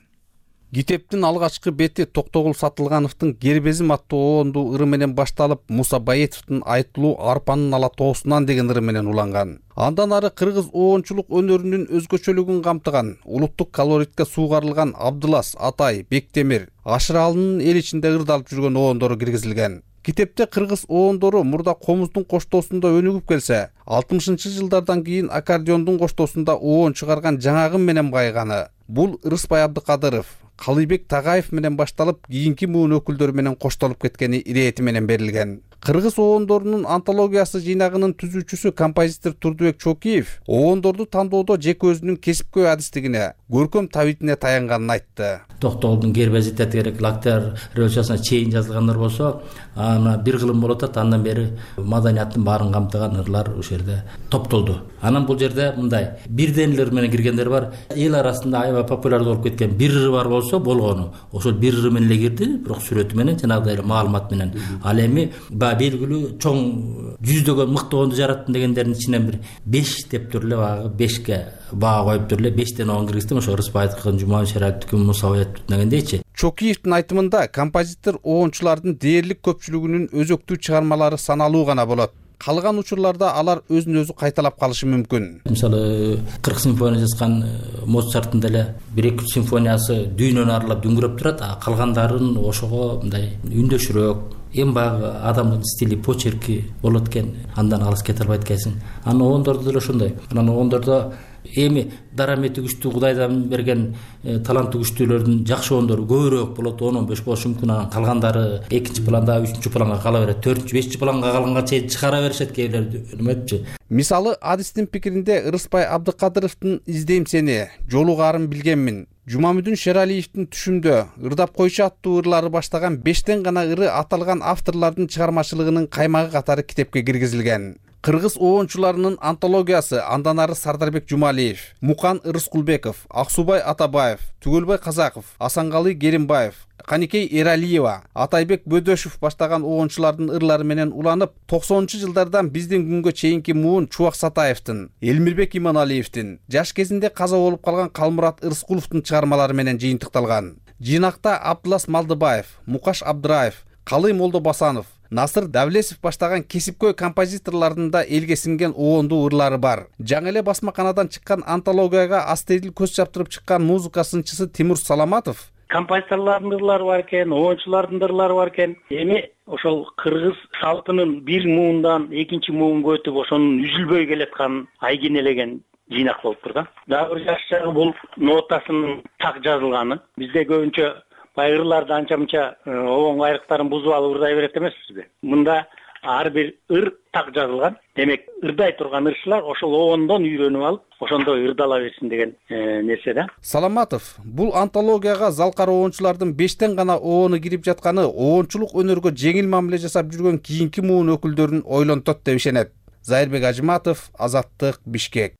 Китептин алгачкы бети Токтогул Сатылгановдун Кербезим аттуу оондуу ыры менен башталып, Муса Баетовдун Айтылуу арпанын ала тоосунан деген ыры менен уланган. Андан ары кыргыз оончулук өнөрүнүн өзгөчөлүгүн камтыган, улуттук колоритке суугарылган Абдылас, Атай, Бектемир, Ашыралынын эл ичинде ырдалып жүргөн оондору киргизилген. Китепте кыргыз оондору мурда комуздун коштоосунда өнүгүп келсе, алтымышынчы жылдардан кийин аккордеондун коштоосунда оон чыгарган жаңагым менен байыганы. Бул Рыспай Абдыкадыров, Калыйбек Тагаев менен башталып, кийинки муун өкүлдөрү менен коштолуп кеткени ирети менен берилген. Кыргыз оондорунун антологиясы жыйнагынын түзүүчүсү композитор Турдубек Чокиев оондорду тандоодо жеке өзүнүн кесипкөй адистигине, көркөм табитине таянганын айтты. Токтогулдун Кербези керек Лактар революциясына чейин жазылгандар болсо, ана бир кылым болуп атат, андан бери маданияттын баарын камтыган ырлар ошол жерде топтолду. Анан бул жерде мындай бирден эле ыр менен киргендер бар. Эл арасында аябай популярдуу болуп кеткен бир ыры бар болсо болгону. Ошол бир ыры менен эле кирди, бирок сүрөтү менен, жанагыдай эле маалымат менен. Ал эми белгилүү чоң жүздөгөн мыкты оонду жараттым дегендердин ичинен бир беш деп туруп эле баягы бешке баа коюп туруп эле бештен оон киргиздим. Ошо Рыспаевдикин, Жумабек Шараевдикин, Муса Баетовдун дегендейчи. Чокиевдин айтымында композитор оончулардын дээрлик көпчүлүгүнүн өзөктүү чыгармалары саналуу гана болот. Калган учурларда алар өзүн өзү кайталап калышы мүмкүн. Мисалы, кырк симфония жазган Моцарттын деле бир эки симфониясы дүйнөнү аралап дүңгүрөп турат, а калгандарын ошого мындай үндөшүрөөк, эң баягы адамдын стили, почерки болот экен, андан алыс кете албайт экенсиң. Анан оондордо деле ошондой. Анан оондордо эми дарамети күчтүү, Кудайдан берген таланты күчтүүлөрдүн жакшы оондору көбүрөөк болот, он он беш болушу мүмкүн. Анан калгандары экинчи планда, үчүнчү планга кала берет, төртүнчү, бешинчи планга калганга чейин чыгара беришет кээрлер, эметчи. Мисалы, адистин пикиринде Рыспай Абдыкадыровдун Издейм сени, Жолу карын билгенмин, Жумамүдүн Шералиевдин Түшүмдө, Ырдап койчу аттуу ырлары баштаган бештен гана ыры аталган авторлордун чыгармачылыгынын каймагы катары китепке киргизилген. кыргыз оончуларынын антологиясы, андан ары Сардарбек Жумалиев, Мукан Рыскулбеков, Аксубай Атабаев, Түгөлбай Казаков, Асанкалы Керимбаев, Каникей Эралиева, Атайбек Бөдөшев баштаган оончулардын ырлары менен уланып, токсонунчу жылдардан биздин күнгө чейинки муун Чубак Сатаевдин, Элмирбек Иманалиевдин, жаш кезинде каза болуп калган Калмурат Ырскуловдун чыгармалары менен жыйынтыкталган. Жыйнакта Абдулас Малдыбаев, Мукаш Абдыраев, Калый Молдобасанов, Насыр Давлесов баштаган кесипкөй композиторлордун да элге сиңген оондуу ырлары бар. Жаңы эле басмаканадан чыккан антологияга астедил көз чаптырып чыккан музыка сынчысы Тимур Саламатов композиторлордун ырлары бар экен, оончулардын ырлары бар экен. Эми ошол кыргыз салтынын бир муундан экинчи муунга өтүп, ошонун үзүлбөй келаткан айкенелеген жыйнак болуптур да. Дагы бир жакшы жагы бул нотасынын так жазылганы. Бизде көбүнчө баягы ырларды анча-мынча оон айрыктарын бузуп алып ырдай берет эмеспизби? Мында ар бир ыр так жазылган. Демек, ырдай турган ырчылар ошол оондон үйрөнүп алып, ошондой ырдала берсин деген нерсе да. Саламатов бул антологияга залкар оончулардын бештен гана оону кирип жатканы оончулук өнөргө жеңил мамиле жасап жүргөн кийинки муун өкүлдөрүн ойлонтот деп ишенет. Зайырбек Ажыматов, Азаттык, Бишкек.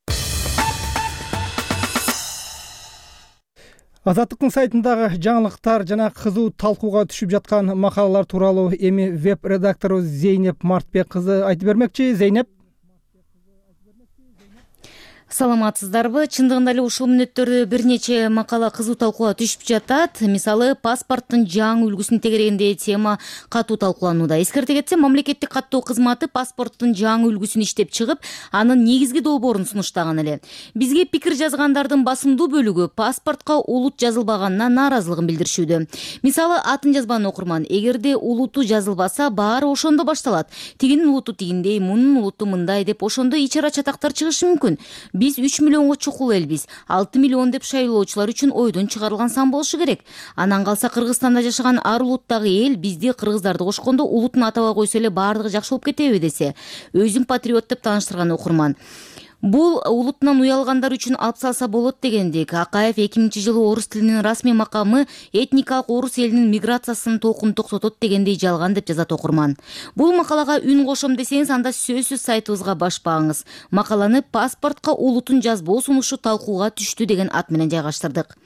Азаттыктын сайтындагы жаңылыктар жана кызуу талкууга түшүп жаткан макалалар тууралуу эми веб редактору Зейнеп Мартбек кызы айтып бермекчи. Зейнеп. Саламатсыздарбы? Чындыгында эле ушул мүнөттөрдө бир нече макала кызуу талкууга түшүп жатат. Мисалы, паспорттун жаңы үлгүсүн тегерегинде тема катуу талкууланууда. Эскерте кетсем, мамлекеттик каттоо кызматы паспорттун жаңы үлгүсүн иштеп чыгып, анын негизги долбоорун сунуштаган эле. Бизге пикир жазгандардын басымдуу бөлүгү паспортко улут жазылбаганына нааразылыгын билдиришүүдө. Мисалы, атын жазбан окурман, эгерде улуту жазылбаса, баары ошондо башталат. Тигинин улуту тигиндей, мунун улуту мындай деп ошондо ичара чатактар чыгышы мүмкүн. Биз үч миллионго чукул элбиз. алты миллион деп шайлоочулар үчүн ойдон чыгарылган сан болушу керек. Анан калса Кыргызстанда жашаган ар улуттагы эл бизди кыргыздарды кошкондо улутун атабай койсо эле баардыгы жакшы болуп кетеби десе. Өзүн патриот деп тааныштырган окурман. Бул улутунан уялгандар үчүн алып салса болот дегендик. Акаев эки миңинчи жылы орус тилинин расмий макамы этникалык орус элинин миграциясынын толкунун токсотот дегендей жалган деп жазат окурман. Бул макалага үн кошом десеңиз, анда сөзсүз сайтыбызга башпаңыз. Макаланы паспортко улутун жазбоо сунушу талкууга түштү деген ат менен жайгаштырдык.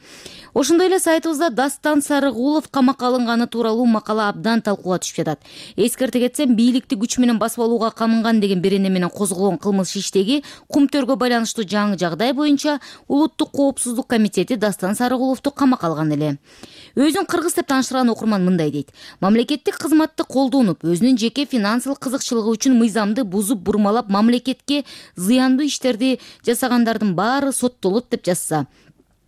Ошондой эле сайтыбызда Дастан Сарыгулов камакка алынганы тууралуу макала абдан талкууга түшүп жатат. Эскерте кетсем, бийликти күч менен басып алууга камынган деген берене менен козголгон кылмыш иштеги Кумтөргө байланыштуу жаңы жагдай боюнча Улуттук коопсуздук комитети Дастан Сарыгуловду камакка алган эле. Өзүн кыргыз деп тааныштырган окурман мындай дейт: мамлекеттик кызматты колдонуп, өзүнүн жеке финансылык кызыкчылыгы үчүн мыйзамды бузуп бурмалап мамлекетке зыяндуу иштерди жасагандардын баары соттолот деп жазса.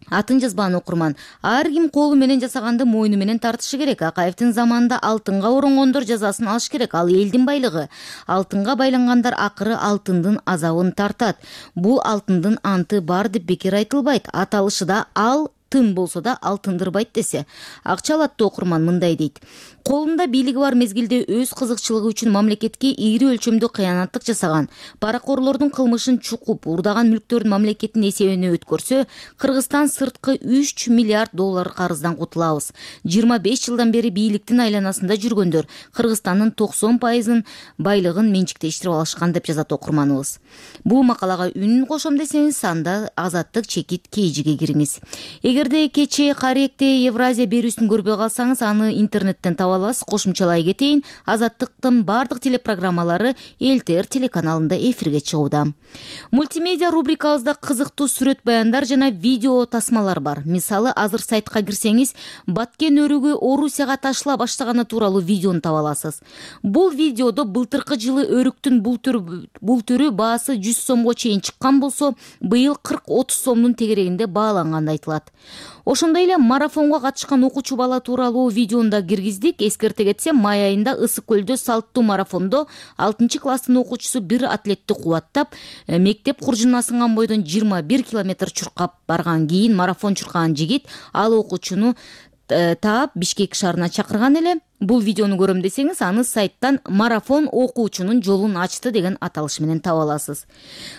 Атын жазбан окурман. Ар ким колу менен жасаганды мойну менен тартышы керек. Акаевдин заманында алтынга оронгондор жазасын алыш керек. Ал элдин байлыгы. Алтынга байлангандар акыры алтындын азабын тартат. Бул алтындын анты бар деп бекер айтылбайт. Аталышы да ал тын болсо да алтындырбайт десе. Акча алат окурман мындай дейт: колунда бийлиги бар мезгилде өз кызыкчылыгы үчүн мамлекетке ийри өлчөмдө кыянаттык жасаган, паракорлордун кылмышын чукуп, урдаган мүлктөрдүн мамлекеттин эсебине өткөрсө, Кыргызстан сырткы үч миллиард доллар карыздан кутулабыз. жыйырма беш жылдан бери бийликтин айланасында жүргөндөр Кыргызстандын токсон пайызын байлыгын менчиктештирип алышкан деп жазат окурманыбыз. Бул макалага үн кошом десеңиз, анда Азаттык чекит кейжиге кириңиз. Эгерде кечээ Каректе Евразия берүүсүн көрбөй калсаңыз, аны интернеттен таба аласыз. Кошумчалай кетейин, Азаттыктын бардык телепрограммалары Эл Тэ Эр телеканалында эфирге чыгууда. Мультимедиа рубрикабызда кызыктуу сүрөт баяндар жана видео тасмалар бар. Мисалы, азыр сайтка кирсеңиз, Баткен өрүгү Орусияга ташыла баштаганы тууралуу видеону таба аласыз. Бул видеодо былтыркы жылы өрүктүн бул түрү бул түрү баасы жүз сомго чейин чыккан болсо, быйыл кырк отуз сомдун тегерегинде бааланганы айтылат. Ошондой эле марафонго катышкан окуучу бала тууралуу видеону да киргиздик. Эскерте кетсем, май айында Ысык көлдө салттуу марафондо алтынчы класстын окуучусу бир атлетти кубаттап, мектеп куржуна сынган бойдон жыйырма бир километр чуркап барган кийин марафон чуркаган жигит ал окуучуну таап Бишкек шаарына чакырган эле. Бул видеону көрөм десеңиз, аны сайттан марафон окуучунун жолун ачты деген аталыш менен таба аласыз.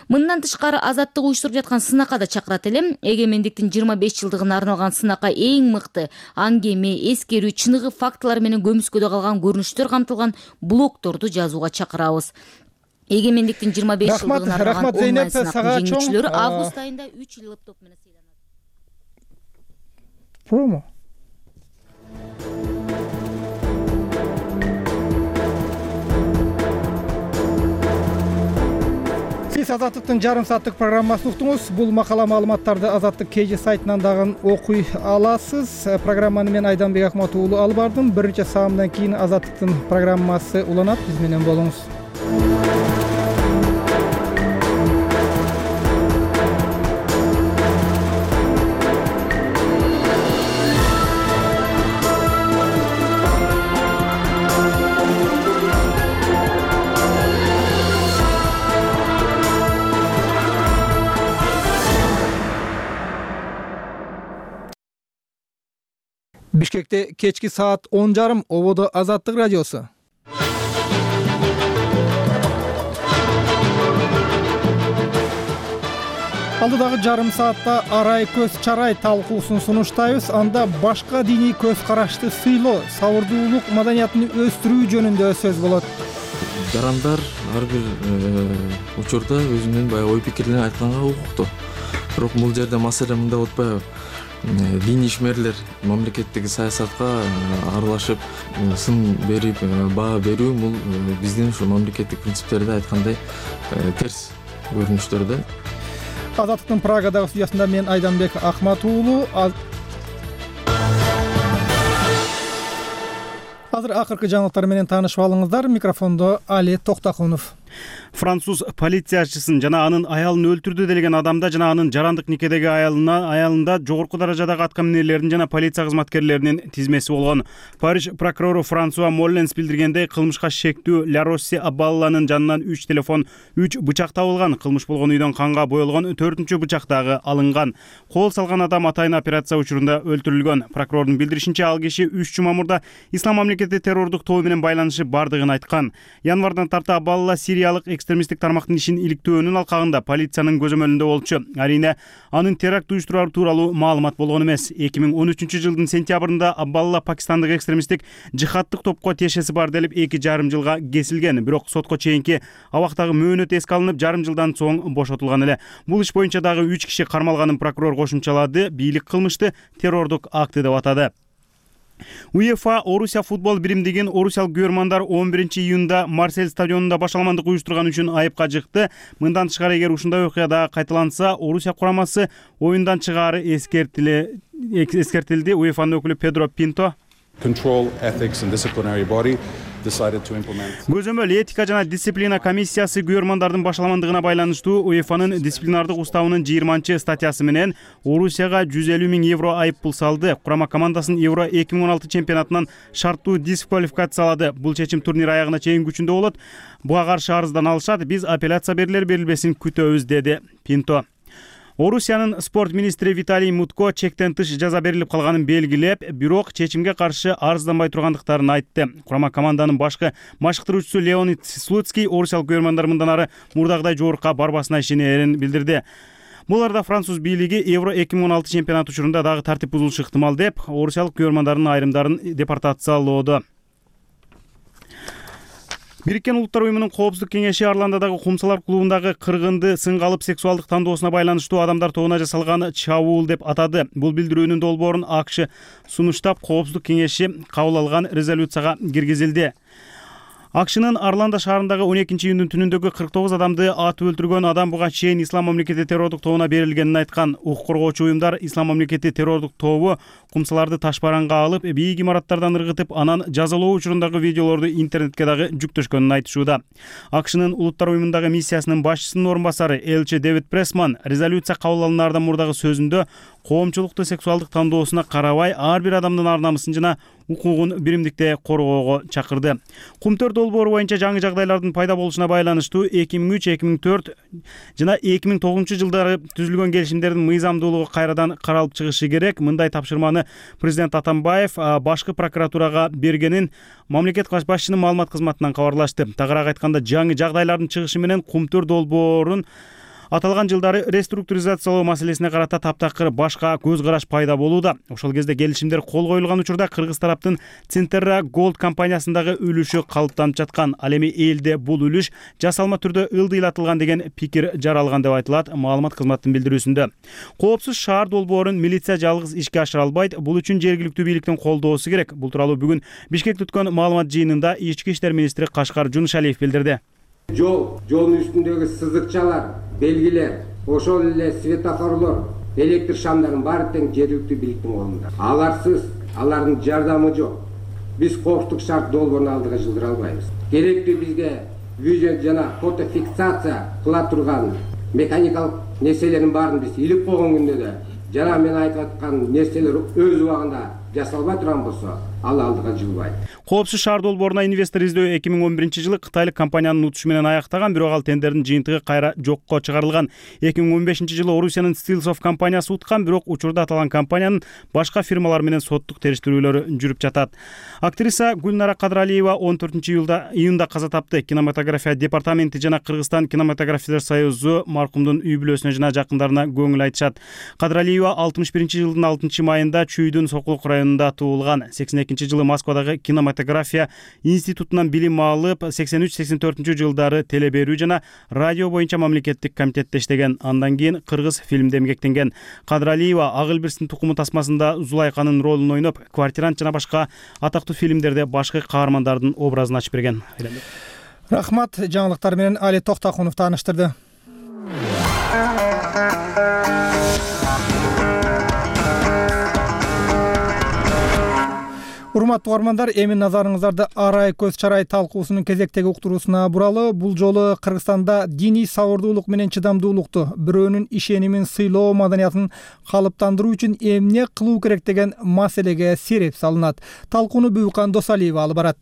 Мындан тышкары Азаттык уюштуруп жаткан сынакка да чакырат элем. Эгемендиктин жыйырма беш жылдыгына арналган сынакка эң мыкты аңгеме, эскерүү, чыныгы фактылар менен көмүскөдө калган көрүнүштөр камтылган блогторду жазууга чакырабыз. эгемендиктин жыйырма беш жылдыгына арналган рахмат Зейнеп, сага чоң. жеңүүчүлөрү август айында үч эл топ менен сыйланат. Промо. Сиз Азаттыктын жарым сааттык программасын уктуңуз. Бул макала маалыматтарды Азаттык кей жи сайтынан дагы окуй аласыз. Программаны мен Айданбек Акмат уулу алып бардым. Бир нече саамдан кийин Азаттыктын программасы уланат. Биз менен болуңуз. Бишкекте кечки саат он жарым, ободо Азаттык радиосу. Алдыдагы жарым саатта арай көз чарай талкуусун сунуштайбыз. Анда башка диний көз карашты сыйлоо, сабырдуулук маданиятын өстүрүү жөнүндө сөз болот. Жарандар ар бир учурда өзүнүн баягы ой пикирлерин айтканга укуктуу. Бирок бул жерде маселе мындай болуп атпайбы? Диний ишмерлер мамлекеттеги саясатка аралашып, сын берип, баа берүү бул биздин ушу мамлекеттик принциптерде айткандай терс көрүнүштөр да. Азаттыктын Прагадагы студиясында мен Айданбек Акмат уулу. Азыр акыркы жаңылыктар менен таанышып алыңыздар. Микрофондо Али Токтакунов. Француз полициячысын жана анын аялын өлтүрдү делген адамда жана анын жарандык никедеги аялына аялында жогорку даражадагы аткаминерлердин жана полиция кызматкерлеринин тизмеси болгон. Париж прокурору Франсуа Молленс билдиргендей, кылмышка шектүү Ля Росси Абалланын жанынан үч телефон, үч бычак табылган. Кылмыш болгон үйдөн канга боелгон төртүнчү бычак дагы алынган. Кол салган адам атайын операция учурунда өлтүрүлгөн. Прокурордун билдиришинче, ал киши үч жума мурда Ислам мамлекети террордук тобу менен байланышы бардыгын айткан. Январдан тарта Абалла сириялык экстремисттик тармактын ишин иликтөөнүн алкагында полициянын көзөмөлүндө болчу. Арине анын теракт уюштурары тууралуу маалымат болгон эмес. эки миң он үчүнчү жылдын сентябрында Абалла пакистандык экстремисттик жихадтык топко тиешеси бар делип эки жарым жылга кесилген. Бирок сотко чейинки абактагы мөөнөт эске алынып, жарым жылдан соң бошотулган эле. Бул иш боюнча дагы үч киши кармалганын прокурор кошумчалады. Бийлик кылмышты террордук акты деп атады. УЕФА Орусия футбол биримдигин орусиялык көрмандар он биринчи июнда Марсель стадионунда башаламандык уюштурган үчүн айыпка жыкты. Мындан тышкары, эгер ушундай окуя дагы кайталанса, Орусия курамасы оюндан чыгаары эскертилди. УЕФАнын өкүлү Педро Пинто Көзөмөл этика жана дисциплина комиссиясы көрмандардын башаламандыгына байланыштуу УЕФАнын дисциплинардык уставынын жыйырманчы статьясы менен Орусияга жүз элүү миң евро айып пул салды. Курама командасын Евро эки миң он алты чемпионатынан шарттуу дисквалификациялады. Бул чечим турнир аягына чейин күчүндө болот. Буга каршы арыздан алышат. Биз апелляция берилер берилбесин күтөбүз, деди Пинто. Орусиянын спорт министри Виталий Мутко чектен тыш жаза берилип калганын белгилеп, бирок чечимге каршы арызданбай тургандыктарын айтты. Курама команданын башкы машыктыруучусу Леонид Слуцкий орусиялык көрмандар мындан ары мурдагыдай жогорукка барбасына ишенерин билдирди. Бул арада француз бийлиги Евро эки миң он алты чемпионаты учурунда дагы тартип бузулушу ыктымал деп, орусиялык көрмандардын айрымдарын депортациялоодо. Бириккен Улуттар уюмунун коопсуздук кеңеши Орландодагы Кумсалар клубундагы кыргынды сынга алып сексуалдык тандоосуна байланыштуу адамдар тобуна жасалган чабуул деп атады. Бул билдирүүнүн долбоорун АКШ сунуштап, коопсуздук кеңеши кабыл алган резолюцияга киргизилди. АКШнын Орландо шаарындагы он экинчи июндун түнүндөгү кырк тогуз адамды атып өлтүргөн адам буга чейин Ислам мамлекети террордук тобуна берилгенин айткан. Укук коргоочу уюмдар Ислам мамлекети террордук тобу кумсаларды ташбаранга алып, бийик имараттардан ыргытып, анан жазалоо учурундагы видеолорду интернетке дагы жүктөшкөнүн айтышууда. АКШнын Улуттар уюмундагы миссиясынын башчысынын орун басары элчи Дэвид Прессман резолюция кабыл алынаардан мурдагы сөзүндө коомчулукту сексуалдык тандоосуна карабай ар бир адамдын ар намысын жана укугун биримдикте коргоого чакырды. Кумтөр долбоору боюнча жаңы жагдайлардын пайда болушуна байланыштуу эки миң үч эки миң төрт жана эки миң тогузунчу жылдары түзүлгөн келишимдердин мыйзамдуулугу кайрадан каралып чыгышы керек. Мындай тапшырманы президент Атамбаев башкы прокуратурага бергенин мамлекет башчынын маалымат кызматынан кабарлашты. Тагыраак айтканда, жаңы жагдайлардын чыгышы менен Кумтөр долбоорун Аталган жылдары реструктуризациялоо маселесине карата таптакыр башка көз караш пайда болууда. Ошол кезде келишимдер кол коюлган учурда кыргыз тараптын Центерра Gold компаниясындагы үлүшү калыптанып жаткан. Ал эми элде бул үлүш жасалма түрдө ылдыйлатылган деген пикир жаралган деп айтылат маалымат кызматынын билдирүүсүндө. Коопсуз шаар долбоорун милиция жалгыз ишке ашыра албайт. Бул үчүн жергиликтүү бийликтин колдоосу керек. Бул тууралуу бүгүн Бишкекте өткөн маалымат жыйынында Ички иштер министри Кашкар Жунушалиев билдирди. Жол, жолдун үстүндөгү сызыкчалар, белгилер, ошол эле светофорлор, электр шамдардын баары тең жергиликтүү бийликтин колунда. Аларсыз алардын жардамы жок. Биз коопсуздук шарт долбоорун алдыга жылдыра албайбыз. Керектүү бизге видео жана фотофиксация кыла турган механикалык нерселердин баарын биз илип койгон күндө да жана мен айтып аткан нерселер өз убагында жасалбай турган болсо, ал алдыга жылбайт. Коопсуз шаар долбооруна инвестор издөө эки миң он биринчи жылы кытайлык компаниянын утушу менен аяктаган, бирок ал тендердин жыйынтыгы кайра жокко чыгарылган. эки миң он бешинчи жылы Орусиянын Stillsoft компаниясы уткан, бирок учурда аталган компаниянын башка фирмалар менен соттук териштирүүлөрү жүрүп жатат. Актриса Гүлнара Кадралиева он төртүнчү июлда июнда каза тапты. Кинематография департаменти жана Кыргызстан кинематографисттер союзу маркумдун үй бүлөсүнө жана жакындарына көңүл айтышат. Кадралиева алтымыш биринчи жылдын алтынчы майында Чүйдүн Сокулук районунда туулган. сексен экинчи жылы Москвадагы кинематография институтунан билим алып, сексен үч сексен төртүнчү жылдары теле берүү жана радио боюнча мамлекеттик комитетте иштеген. Андан кийин кыргыз фильмде эмгектенген. Кадралиева Ак Элбирстин тукуму тасмасында Зулайканын ролун ойноп, Квартирант жана башка атактуу фильмдерде башкы каармандардын образын ачып берген. Рахмат, жаңылыктар менен Али Токтакунов тааныштырды. Урматтуу угармандар, эми назарыңыздарды арай көз чарай талкуусунун кезектеги уктуруусуна буралы. Бул жолу Кыргызстанда диний сабырдуулук менен чыдамдуулукту, бирөөнүн ишенимин сыйлоо маданиятын калыптандыруу үчүн эмне кылуу керек деген маселеге сереп салынат. Талкууну Бүбүкан Досалиева алып барат.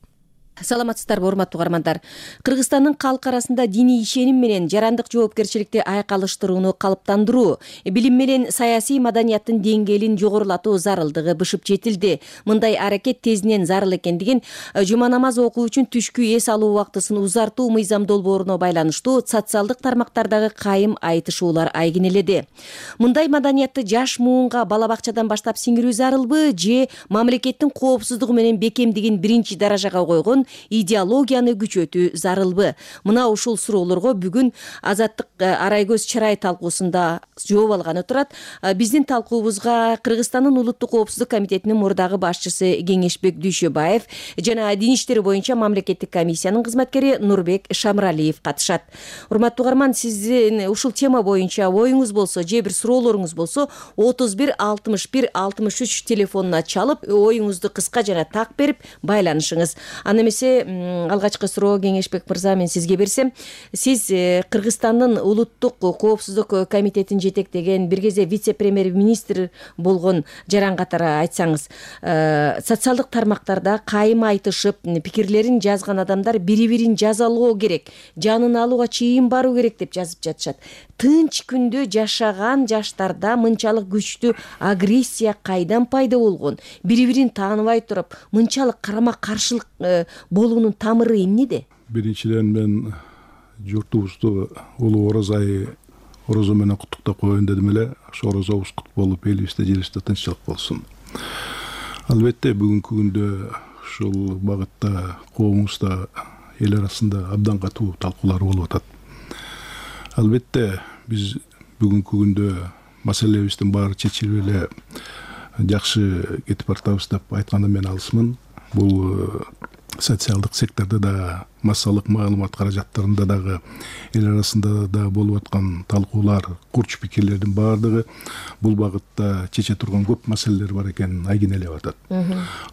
Саламатсыздарбы, урматтуу угармандар. Кыргызстандын калк арасында диний ишеним менен жарандык жоопкерчиликти айкалыштырууну калыптандыруу, билим менен саясий маданияттын деңгээлин жогорулатуу зарылдыгы бышып жетилди. Мындай аракет тезинен зарыл экендигин жума намаз окуу үчүн түшкү эс алуу убактысын узартуу мыйзам долбооруна байланыштуу социалдык тармактардагы кайым айтышуулар айгинеледи. Мындай маданиятты жаш муунга бала бакчадан баштап сиңирүү зарылбы же мамлекеттин коопсуздугу менен бекемдигин биринчи даражага койгон идеологияны күчөтүү зарылбы? Мына ушул суроолорго бүгүн Азаттык арай көз чарай талкуусунда жооп алганы турат. Биздин талкуубузга Кыргызстандын улуттук коопсуздук комитетинин мурдагы башчысы Кеңешбек Дүйшөбаев жана дин иштери боюнча мамлекеттик комиссиянын кызматкери Нурбек Шамралиев катышат. Урматтуу угарман, сиздин ушул тема боюнча оюңуз болсо же бир суроолоруңуз болсо отуз бир алтымыш бир алтымыш үч телефонуна чалып, оюңузду кыска жана так берип байланышыңыз. Аны алгачкы суроо, Кеңешбек мырза, мен сизге берсем, сиз Кыргызстандын улуттук коопсуздук комитетин жетектеген, бир кезде вице-премьер-министр болгон жаран катары айтсаңыз, социалдык тармактарда кайым айтышып, пикирлерин жазган адамдар бири-бирин жазалоо керек, жанын алууга чейин баруу керек деп жазып жатышат. Тынч күндө жашаган жаштарда мынчалык күчтүү агрессия кайдан пайда болгон? Бири-бирин тааныбай туруп, мынчалык карама-каршылык болуунун тамыры эмнеде? Биринчиден мен журтубузду улуу орозо айы орозо менен куттуктап коеюн дедим эле. Ошо орозобуз кут болуп, элибизде жерибизде тынччылык болсун. Албетте бүгүнкү күндө ушул багытта коомубузда, эл арасында абдан катуу талкуулар болуп атат. Албетте биз бүгүнкү күндө маселебиздин баары чечилип эле жакшы кетип баратабыз деп айтканда мен алысмын. Бул социалдык сектордо да, массалык маалымат каражаттарында дагы, эл арасында да болуп аткан талкуулар, курч пикирлердин баардыгы бул багытта чече турган көп маселелер бар экенин айгинелеп атат.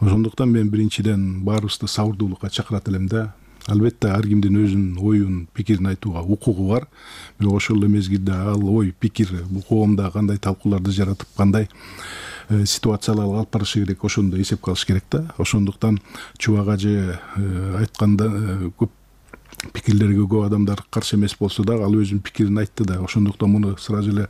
Ошондуктан мен биринчиден баарыбызды сабырдуулукка чакырат элем да. Албетте ар кимдин өзүнүн оюн, пикирин айтууга укугу бар. Бирок ошол эле мезгилде ал ой, пикир бул коомдо кандай талкууларды жаратып, кандай ситуацияларга алып барышы керек, ошондо эсепке алыш керек да. Ошондуктан Чубак ажы айтканда көп пикирлерге көп адамдар каршы эмес болсо дагы ал өзүнүн пикирин айтты да. Ошондуктан муну сразу эле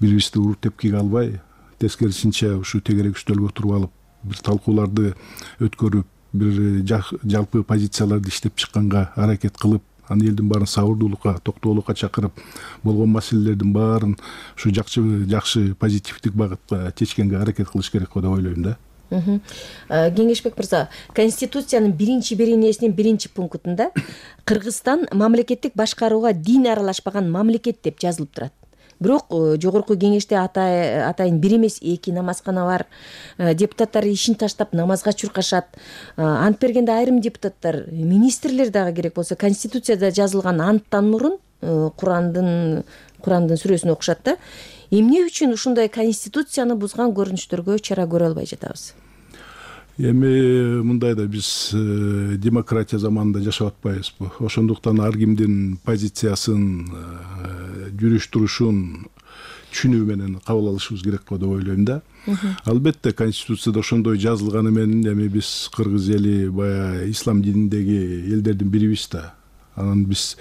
бири-бирибизди уруп тепкиге албай, тескерисинче ушу тегерек үстөлгө туруп алып, бир талкууларды өткөрүп, бир жалпы позицияларды иштеп чыкканга аракет кылып, аны элдин баарын сабырдуулукка, токтоолукка чакырып, болгон маселелердин баарын ушу жакшы жакшы позитивдик багытка чечкенге аракет кылыш керек го деп ойлойм да. Кеңешбек мырза, Конституциянын биринчи беренесинин биринчи пунктунда Кыргызстан мамлекеттик башкарууга дин аралашпаган мамлекет деп жазылып турат. Бирок жогорку кеңеште атайын бир эмес эки намазкана бар. Депутаттар ишин таштап намазга чуркашат. Ант бергенде айрым депутаттар, министрлер дагы керек болсо Конституцияда жазылган анттан мурун Курандын Курандын сүрөсүн окушат да. Эмне үчүн ушундай Конституцияны бузган көрүнүштөргө чара көрө албай жатабыз? Эми мындай да, биз демократия заманында жашап атпайбызбы? Ошондуктан ар кимдин позициясын, жүрүш турушун түшүнүү менен кабыл алышыбыз керек го деп ойлойм да. Албетте Конституцияда ошондой жазылганы менен эми биз кыргыз эли баягы ислам дининдеги элдердин бирибиз да. Анан биз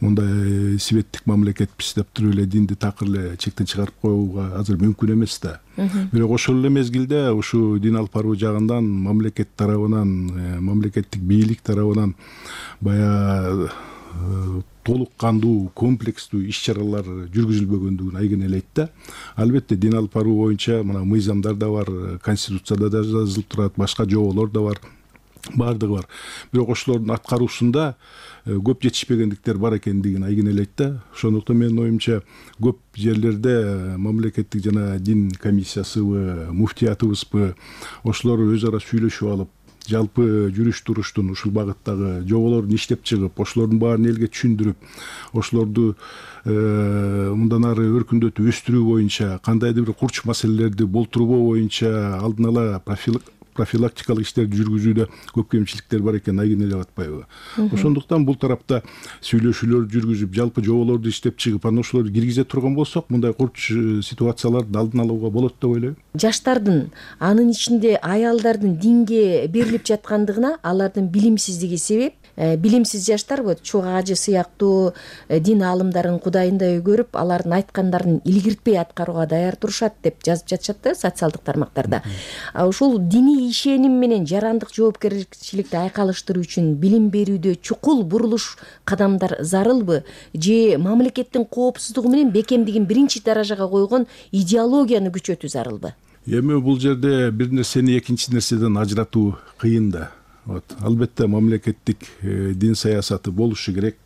мындай светтик мамлекетпиз деп туруп эле динди такыр эле чектен чыгарып коюуга азыр мүмкүн эмес да. Бирок ошол эле мезгилде ушу дин алып баруу жагынан мамлекет тарабынан, мамлекеттик бийлик тарабынан баягы толук кандуу, комплекстүү иш-чаралар жүргүзүлбөгөндүгүн айгинелейт да. Албетте дин алып баруу боюнча мына мыйзамдар да бар, Конституцияда да жазылып турат, башка жоболор да бар. Бардыгы бар. Бирок ошолордун аткаруусунда көп жетишпегендиктер бар экендигин айгинелейт да. Ошондуктан менин оюмча көп жерлерде мамлекеттик жана дин комиссиясыбы, муфтиятыбызбы ошолор өз ара сүйлөшүп алып, жалпы жүрүш туруштун ушул багыттагы жоболорун иштеп чыгып, ошолордун баарын элге түшүндүрүп, ошолорду мындан ары өркүндөтүп өстүрүү боюнча, кандайдыр бир курч маселелерди болтурбоо боюнча алдын ала профилактикалык иштерди жүргүзүүдө көп кемчиликтер бар экенин айгинелеп атпайбы? Ошондуктан бул тарапта сүйлөшүүлөр жүргүзүп, жалпы жоболорду иштеп чыгып, анан ошолорду киргизе турган болсок, мындай курч ситуацияларды алдын алууга болот деп ойлойм. Жаштардын, анын ичинде аялдардын динге берилип жаткандыгына алардын билимсиздиги себеп. Билимсиз жаштар вот чогуу ажы сыяктуу дин аалымдарын кудайындай өгөрүп, алардын айткандарын илгиртпей аткарууга даяр турушат деп жазып жатышат да социалдык тармактарда. Ушул диний ишеним менен жарандык жоопкерчиликти айкалыштыруу үчүн билим берүүдө чукул бурулуш кадамдар зарылбы? Же мамлекеттин коопсуздугу менен бекемдигин биринчи даражага койгон идеологияны күчөтүү зарылбы? Эми бул жерде бир нерсени экинчи нерседен ажыратуу кыйын да. Вот, албетте мамлекеттик дин саясаты болушу керек.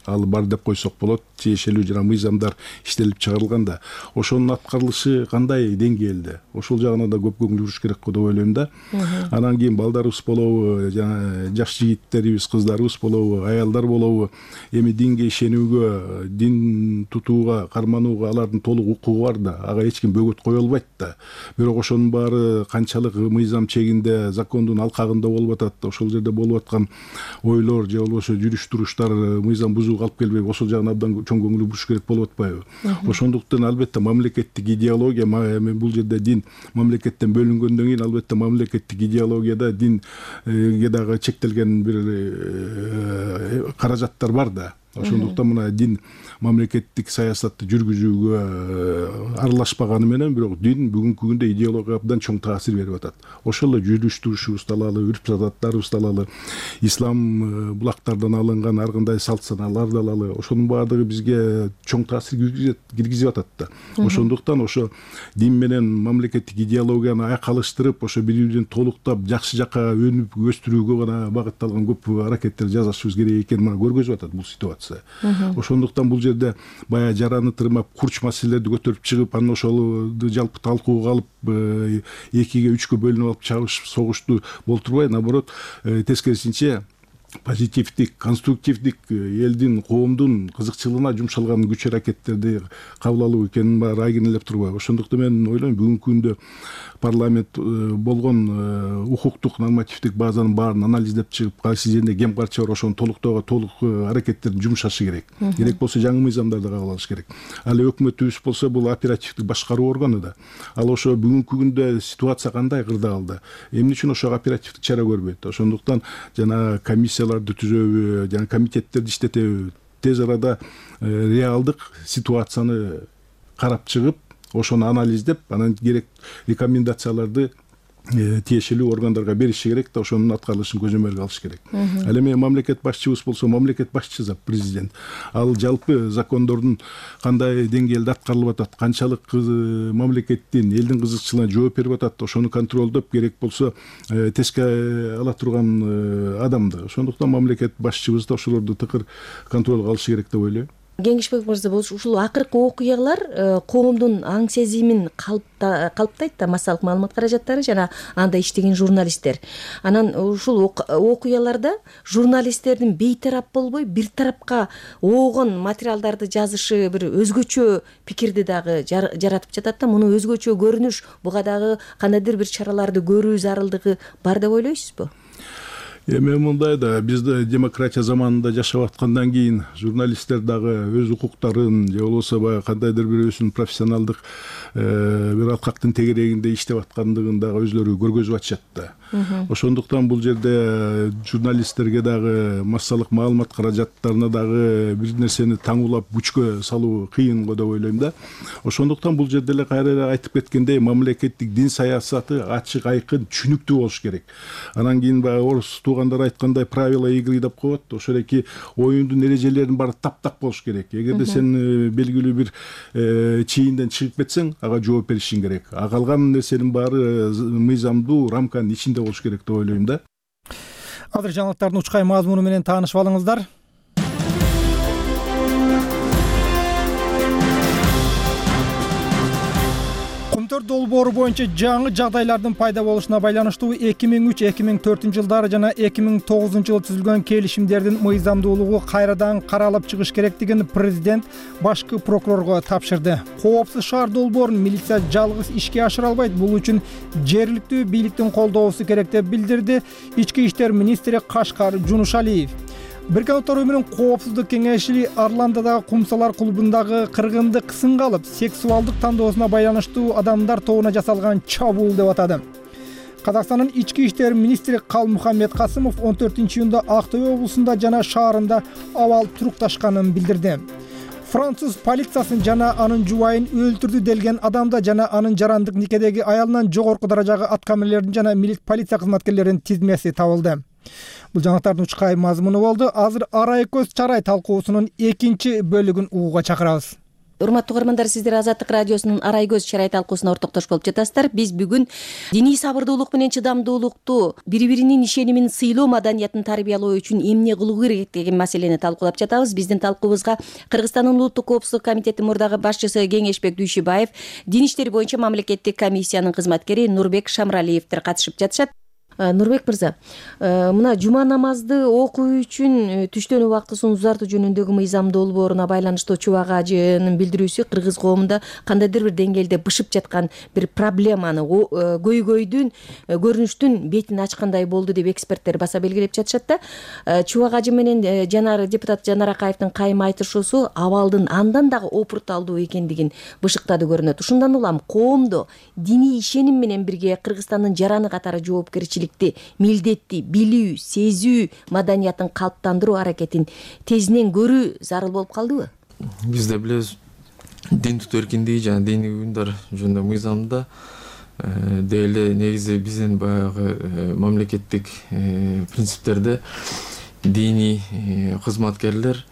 Ал бар деп койсок болот. Тиешелүү жана мыйзамдар иштелип чыгарылган да. Ошонун аткарылышы кандай деңгээлде? Ошол жагына да көп көңүл буруш керек го деп ойлойм да. Анан кийин балдарыбыз болобу, жана жаш жигиттерибиз, кыздарыбыз болобу, аялдар болобу, эми динге ишенүүгө, дин тутууга, карманууга алардын толук укугу бар да. Ага эч ким бөгөт кое албайт да. Бирок ошонун баары канчалык мыйзам чегинде, закондун алкагында болуп атат, ошол жерде болуп аткан ойлор же болбосо жүрүш туруштар мыйзам бузуу алып келбей, ошол жагына абдан чоң көңүл буруш керек болуп атпайбы? Ошондуктан албетте мамлекеттик идеология, бул жерде дин мамлекеттен бөлүнгөндөн кийин албетте мамлекеттик идеологияда динге дагы чектелген бир каражаттар бар да. Ошондуктан мына дин мамлекеттик саясатты жүргүзүүгө аралашпаганы менен, бирок дин бүгүнкү күндө идеологияга абдан чоң таасир берип атат. Ошол эле жүрүш турушубузду алалы, үрп-адаттарыбызды алалы, ислам булактардан алынган ар кандай салт санааларды алалы, ошонун баардыгы бизге чоң таасир киргизип атат да. Ошондуктан ошо дин менен мамлекеттик идеологияны айкалыштырып, ошо бири-бирин толуктап, жакшы жакка өнүп өстүрүүгө гана багытталган көп аракеттер жасашыбыз керек экенин мына көргөзүп атат бул ситуация. Ошондуктан бул жерде баягы жараны тырмап, курч маселелерди көтөрүп чыгып, анан ошолду жалпы талкууга алып, экиге, үчкө бөлүнүп алып чабышып, согушту болтурбай, наоборот, тескерисинче позитивдик, конструктивдик элдин, коомдун кызыкчылыгына жумшалган күч аракеттерди кабыл алуу экенин баары айгинелеп турбайбы? Ошондуктан мен ойлойм, бүгүнкү күндө парламент болгон укуктук нормативдик базанын баарын анализдеп чыгып, кайсы жерде кем карчы бар, ошону толуктоого толук аракеттерди жумшашы керек. Керек болсо жаңы мыйзамдарды кабыл алыш керек. Ал өкмөтүбүз болсо бул оперативдик башкаруу органы да. Ал ошо бүгүнкү күндө ситуация кандай кырдаалда? Эмне үчүн ошо оперативдик чара көрбөйт? Ошондуктан жана комиссияларды түзөбү, жана комитеттерди иштетеби, тез арада реалдык ситуацияны карап чыгып, ошону анализдеп, анан керек рекомендацияларды тиешелүү органдарга бериши керек да ошонун аткарылышын көзөмөлгө алыш керек. Ал эми мамлекет башчыбыз болсо мамлекет башчысы президент. Ал жалпы закондордун кандай деңгээлде аткарылып атат, канчалык мамлекеттин элдин кызыкчылыгына жооп берип атат, ошону контролдоп керек болсо теске ала турган адамды. Ошондуктан мамлекет башчыбыз да ошолорду тыкыр контролго алышы керек деп ойлойм. Кеңешбек мырза, ушул акыркы окуялар коомдун аң сезимин калыптайт да, массалык маалымат каражаттары жана анда иштеген журналисттер. Анан ушул окуяларда журналисттердин бейтарап болбой, бир тарапка оогон материалдарды жазышы бир өзгөчө пикирди дагы жаратып жатат да, муну өзгөчө көрүнүш, буга дагы кандайдыр бир чараларды көрүү зарылдыгы бар деп ойлойсузбу? Эми мындай да, бизде демократия заманында жашап аткандан кийин журналисттер дагы өз укуктарын же болбосо баягы кандайдыр бир өзүнүн профессионалдык бир аткактын тегерегинде иштеп аткандыгын дагы өзлөрү көргөзүп атышат да. Ошондуктан бул жерде журналисттерге дагы массалык маалымат каражаттарына дагы бир нерсени таңуулап күчкө салуу кыйын го деп ойлойм да. Ошондуктан бул жерде эле кайра айтып кеткендей, мамлекеттик дин саясаты ачык, айкын, түшүнүктүү болуш керек. Анан кийин баягы орус туугандар айткандай правила игры деп коет. Ошол эки оюндун эрежелеринин баары таптак болуш керек. Эгерде сен белгилүү бир чийинден чыгып кетсең, ага жооп беришиң керек. А калган нерсенин баары мыйзамдуу рамканын ичинде болуш керек деп ойлойм да. Азыр жаңылыктардын учкай мазмуну менен таанышып алыңыздар. Кумтөр долбоору боюнча жаңы жагдайлардын пайда болушуна байланыштуу эки миң үч эки миң төртүнчү жылдары жана эки миң тогузунчу жылы түзүлгөн келишимдердин мыйзамдуулугу кайрадан каралып чыгыш керектигин президент башкы прокурорго тапшырды. Коопсуз шаар долбоорун милиция жалгыз ишке ашыра албайт, бул үчүн жергиликтүү бийликтин колдоосу керек деп билдирди ички иштер министри Кашкар Жунушалиев. Бириккен Улуттар Уюмунун коопсуздук кеңеши Орландодагы кумсалар клубундагы кыргынды кысынга алып, сексуалдык тандоосуна байланыштуу адамдар тобуна жасалган чабуул деп атады. Казакстандын ички иштер министри Калмухаммед Касымов он төртүнчү июнда Ак Той облусунда жана шаарында абал турукташканын билдирди. Француз полициясын жана анын жубайын өлтүрдү делген адамда жана анын жарандык никедеги аялынан жогорку даражагы аткаминерлердин жана полиция кызматкерлеринин тизмеси табылды. Бул жаңылыктардын учкай мазмуну болду. Азыр арай көз чарай талкуусунун экинчи бөлүгүн угууга чакырабыз. Урматтуу угармандар, сиздер Азаттык радиосунун арай көз чарай талкуусуна ортоктош болуп жатасыздар. Биз бүгүн диний сабырдуулук менен чыдамдуулукту, бири-биринин ишенимин сыйлоо маданиятын тарбиялоо үчүн эмне кылуу керек деген маселени талкуулап жатабыз. Биздин талкуубузга Кыргызстандын Улуттук коопсуздук комитетинин мурдагы башчысы Кеңешбек Дүйшүбаев, дин иштери боюнча мамлекеттик комиссиянын кызматкери Нурбек Шамралиевдер катышып жатышат. Нурбек мырза, мына жума намазды окуу үчүн түштөн убактысын узартуу жөнүндөгү мыйзам долбооруна байланыштуу Чубак ажынын билдирүүсү кыргыз коомунда кандайдыр бир деңгээлде бышып жаткан бир проблеманы, көйгөйдүн, көрүнүштүн бетин ачкандай болду деп эксперттер баса белгилеп жатышат да. Чубак ажы менен жанар депутат Жанар Акаевдин кайым айтышуусу абалдын андан дагы опурталдуу экендигин бышыктады көрүнөт. Ушундан улам коомдо диний ишеним менен бирге Кыргызстандын жараны катары жоопкерчилик милдетти билүү, сезүү маданиятын калыптандыруу аракетин тезинен көрүү зарыл болуп калдыбы? Бизде билебиз, дин тутуу эркиндиги жана диний уюмдар жөнүндө мыйзамда деле негизи биздин баягы мамлекеттик принциптерде диний кызматкерлер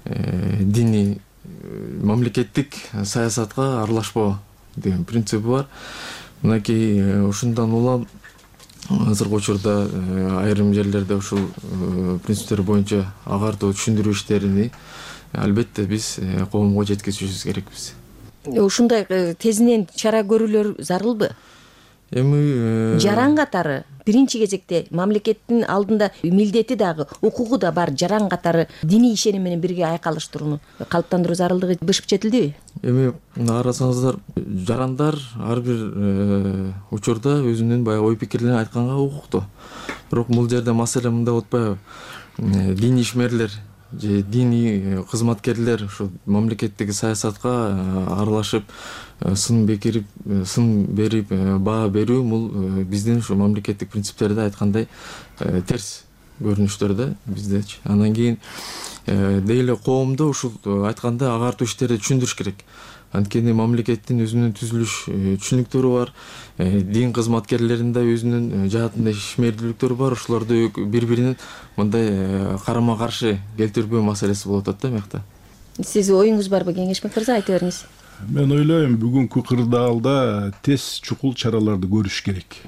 диний мамлекеттик саясатка аралашпоо деген принцип бар. Мынакей ушундан улам азыркы учурда айрым жерлерде ушул принциптер боюнча агартуу түшүндүрүү иштерини албетте биз коомго жеткизишибиз керекпиз. Ушундай тезинен чара көрүүлөр зарылбы? Эми жаран катары биринчи кезекте мамлекеттин алдында милдети дагы, укугу да бар жаран катары диний ишеним менен бирге айкалыштырууну калыптандыруу зарылдыгы бышып жетилдиби? Эми карасаңыздар, жарандар ар бир учурда өзүнүн баягы ой пикирлерин айтканга укуктуу. Бирок бул жерде маселе мындай болуп атпайбы? Диний ишмерлер же диний кызматкерлер ушу мамлекеттик саясатка аралашып, сын бекирип, сын берип, баа берүү бул биздин ушу мамлекеттик принциптерде айткандай терс көрүнүштөр да биздечи. Андан кийин деги эле коомдо ушул айтканда агартуу иштерди түшүндүрүш керек. Анткени мамлекеттин өзүнүн түзүлүш түшүнүктөрү бар, дин кызматкерлеринин да өзүнүн жаатында ишмердүүлүктөрү бар. Ошолорду бири-биринин мындай карама каршы келтирбөө маселеси болуп атат да мыякта. Сиз оюңуз барбы, Кеңешбек мырза, айта бериңиз. Мен ойлойм, бүгүнкү кырдаалда тез чукул чараларды көрүш керек.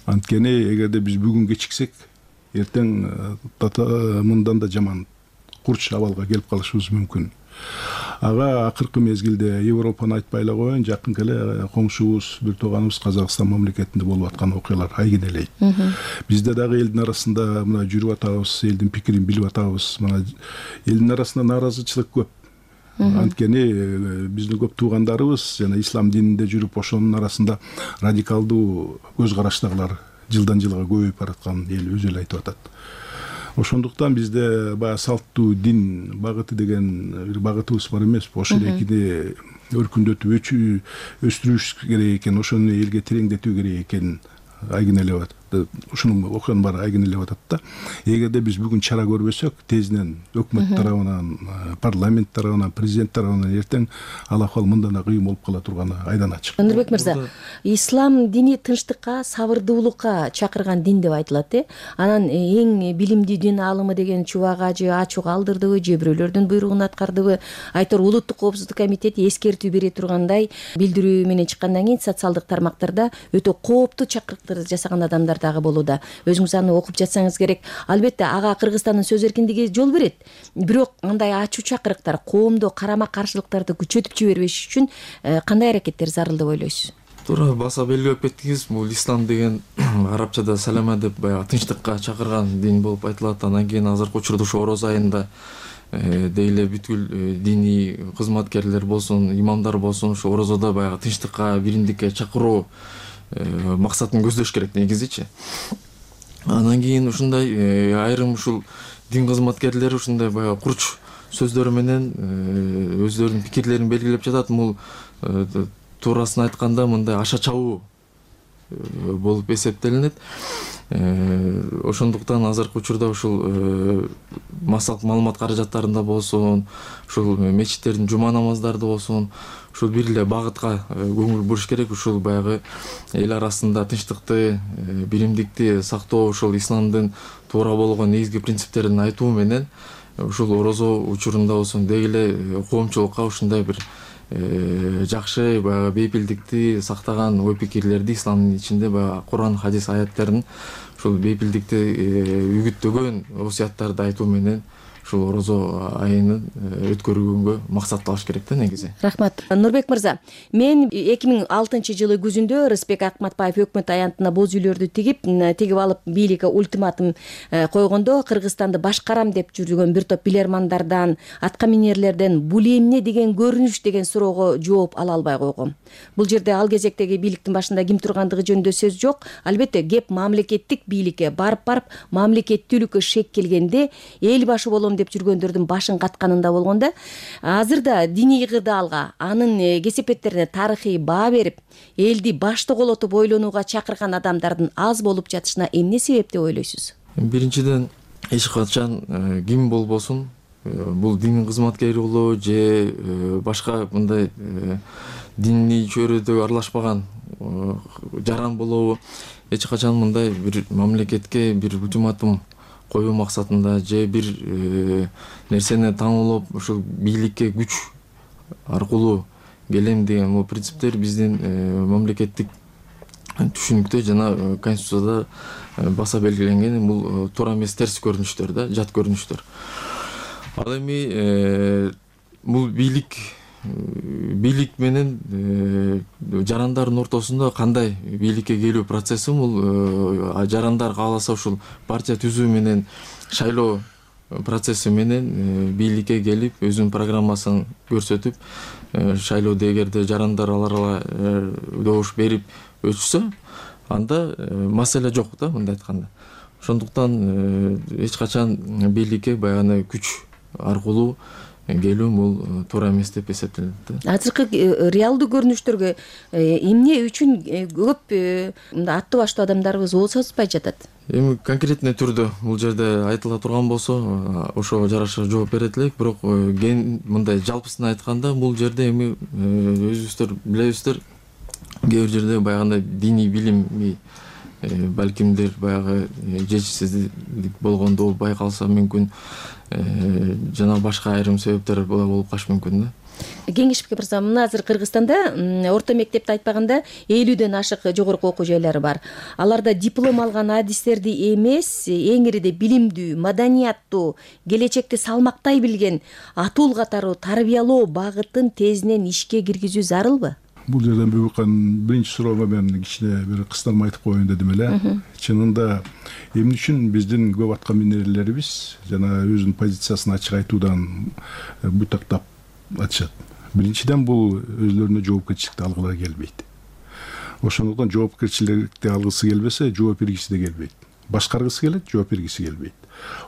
Анткени эгерде биз бүгүн кечиксек, эртең мындан да жаман курч абалга келип калышыбыз мүмкүн. Ага акыркы мезгилде Европаны айтпай эле коеюн, жакынкы эле коңшубуз, бир тууганыбыз Казакстан мамлекетинде болуп аткан окуялар айгинелейт. Бизде дагы элдин арасында мына жүрүп атабыз, элдин пикирин билип атабыз. Мына элдин арасында нааразычылык көп. Анткени биздин көп туугандарыбыз жана ислам дининде жүрүп, ошонун арасында радикалдуу көз караштагылар жылдан жылга көбөйүп баратканын эл өзү эле айтып атат. Ошондуктан бизде баягы салттуу дин багыты деген бир багытыбыз бар эмеспи? Ошол экини өркүндөтүп өстүрүш керек экен, ошону элге тереңдетүү керек экенин айгинелеп атат. Ушунун окуянын баары айгинелеп атат да. Эгерде биз бүгүн чара көрбөсөк, тезинен өкмөт тарабынан, парламент тарабынан, президент тарабынан эртең ал акыбал мындан да кыйын болуп кала турганы айдан ачык. Нурбек мырза, ислам дини тынчтыкка, сабырдуулукка чакырган дин деп айтылат, э? Анан эң билимдүү дин аалымы деген чубак же ачуу калдырдыбы, же бирөөлөрдүн буйругун аткардыбы? Айтор Улуттук коопсуздук комитети эскертүү бере тургандай билдирүү менен чыккандан кийин социалдык тармактарда өтө кооптуу чакырыктарды жасаган адамдар дагы болууда. Өзүңүз аны окуп жатсаңыз керек. Албетте ага Кыргызстандын сөз эркиндиги жол берет. Бирок андай ачуу чакырыктар коомдо карама каршылыктарды күчөтүп жибербеш үчүн кандай аракеттер зарыл деп ойлойсуз? Туура баса белгилеп кеттиңиз. Бул ислам деген арабчада салама деп баягы тынчтыкка чакырган дин болуп айтылат. Андан кийин азыркы учурда ошо ороз айында деги эле бүткүл диний кызматкерлер болсун, имамдар болсун, ошо орозодо баягы тынчтыкка, биримдикке чакыруу максатын көздөш керек негизичи. Андан кийин ушундай айрым ушул дин кызматкерлери ушундай баягы курч сөздөрү менен өздөрүнүн пикирлерин белгилеп жатат. Бул туурасын айтканда мындай аша чабуу болуп эсептелинет. Ошондуктан азыркы учурда ушул массалык маалымат каражаттарында болсун, ушул мечиттердин жума намаздарында болсун, ушул бир эле багытка көңүл буруш керек. Ушул баягы эл арасында тынчтыкты, биримдикти сактоо, ушул исламдын туура болгон негизги принциптерин айтуу менен ушул орозо учурунда болсун деги эле коомчулукка ушундай бир жакшы баягы бейпилдикти сактаган ой пикирлерди исламдын ичинде баягы Куран, хадис аяттерин ушул бейпилдикти үгүттөгөн осуяттарды айтуу менен ушул орозо айынын өткөрүүгө максатталыш керек да негизи. Рахмат. Нурбек мырза, мен эки миң алтынчы жылы күзүндө Рыспек Акматбаев өкмөт аянтына боз үйлөрдү тигип, тигип алып бийликке ультиматум койгондо Кыргызстанды башкарам деп жүргөн бир топ билермандардан, атка минерлерден бул эмне деген көрүнүш деген суроого жооп ала албай койгом. Бул жерде ал кезектеги бийликтин башында ким тургандыгы жөнүндө сөз жок. Албетте кеп мамлекеттик бийликке барып-барып мамлекеттүүлүккө шек келгенде эл башы болом деп жүргөндөрдүн башын катканында болгондо, азырда диний кырдаалга, анын кесепеттерине тарыхый баа берип, элди башты колотуп ойлонууга чакырган адамдардын аз болуп жатышына эмне себеп деп ойлойсуз? Биринчиден, эч качан ким болбосун, бул дин кызматкери болобу же башка мындай диний чөйрөдө аралашпаган жаран болобу, эч качан мындай бир мамлекетке бир ультиматум коюу максатында же бир нерсени таңуулап ушул бийликке күч аркылуу келем деген бул принциптер биздин мамлекеттик түшүнүктө жана конституцияда баса белгиленген. Бул туура эмес, терс көрүнүштөр да, жат көрүнүштөр. Ал эми бул бийлик бийлик менен жарандардын ортосунда кандай бийликке келүү процесси, бул жарандар кааласа ушул партия түзүү менен шайлоо процесси менен бийликке келип өзүнүн программасын көрсөтүп, шайлоодо эгерде жарандар аларга добуш берип өтүшсө, анда маселе жок да, мындай айтканда. Ошондуктан эч качан бийликке баягы күч аркылуу келүүм бул туура эмес деп эсептелет. Азыркы реалдуу көрүнүштөргө эмне үчүн көп мындай аттуу баштуу адамдарыбыз кол созбой жатат? Эми конкретный түрдө бул жерде айтыла турган болсо ошого жараша жооп берет элек, бирок ген мындай жалпысын айтканда бул жерде эми өзүбүздөр билебиздер, кээ бир жерде баягындай диний билими балкимдир баягы жетишсиздик болгондо байкалса мүмкүн, жана башка айрым себептер болуп калышы мүмкүн да. Кеңешбек мырза, мына азыр Кыргызстанда орто мектепти айтпаганда элүүдөн ашык жогорку окуу жайлары бар. Аларда диплом алган адистерди эмес, эң ириде билимдүү, маданияттуу, келечекти салмактай билген, атуул катары тарбиялоо багытын тезинен ишке киргизүү зарылбы? Бул жерден бүгүн биринчи суроого мен кичине бир кыстырма айтып коеюн дедим эле. Чынында эмне үчүн биздин көп аткан минерлерибиз жана өзүнүн позициясын ачык айтуудан бутактап атышат. Биринчиден бул өзлөрүнө жоопкерчиликти алгылары келбейт. Ошондуктан жоопкерчиликти алгысы келбесе, жооп бергиси да келбейт. Башкаргысы келет, жооп бергиси келбейт.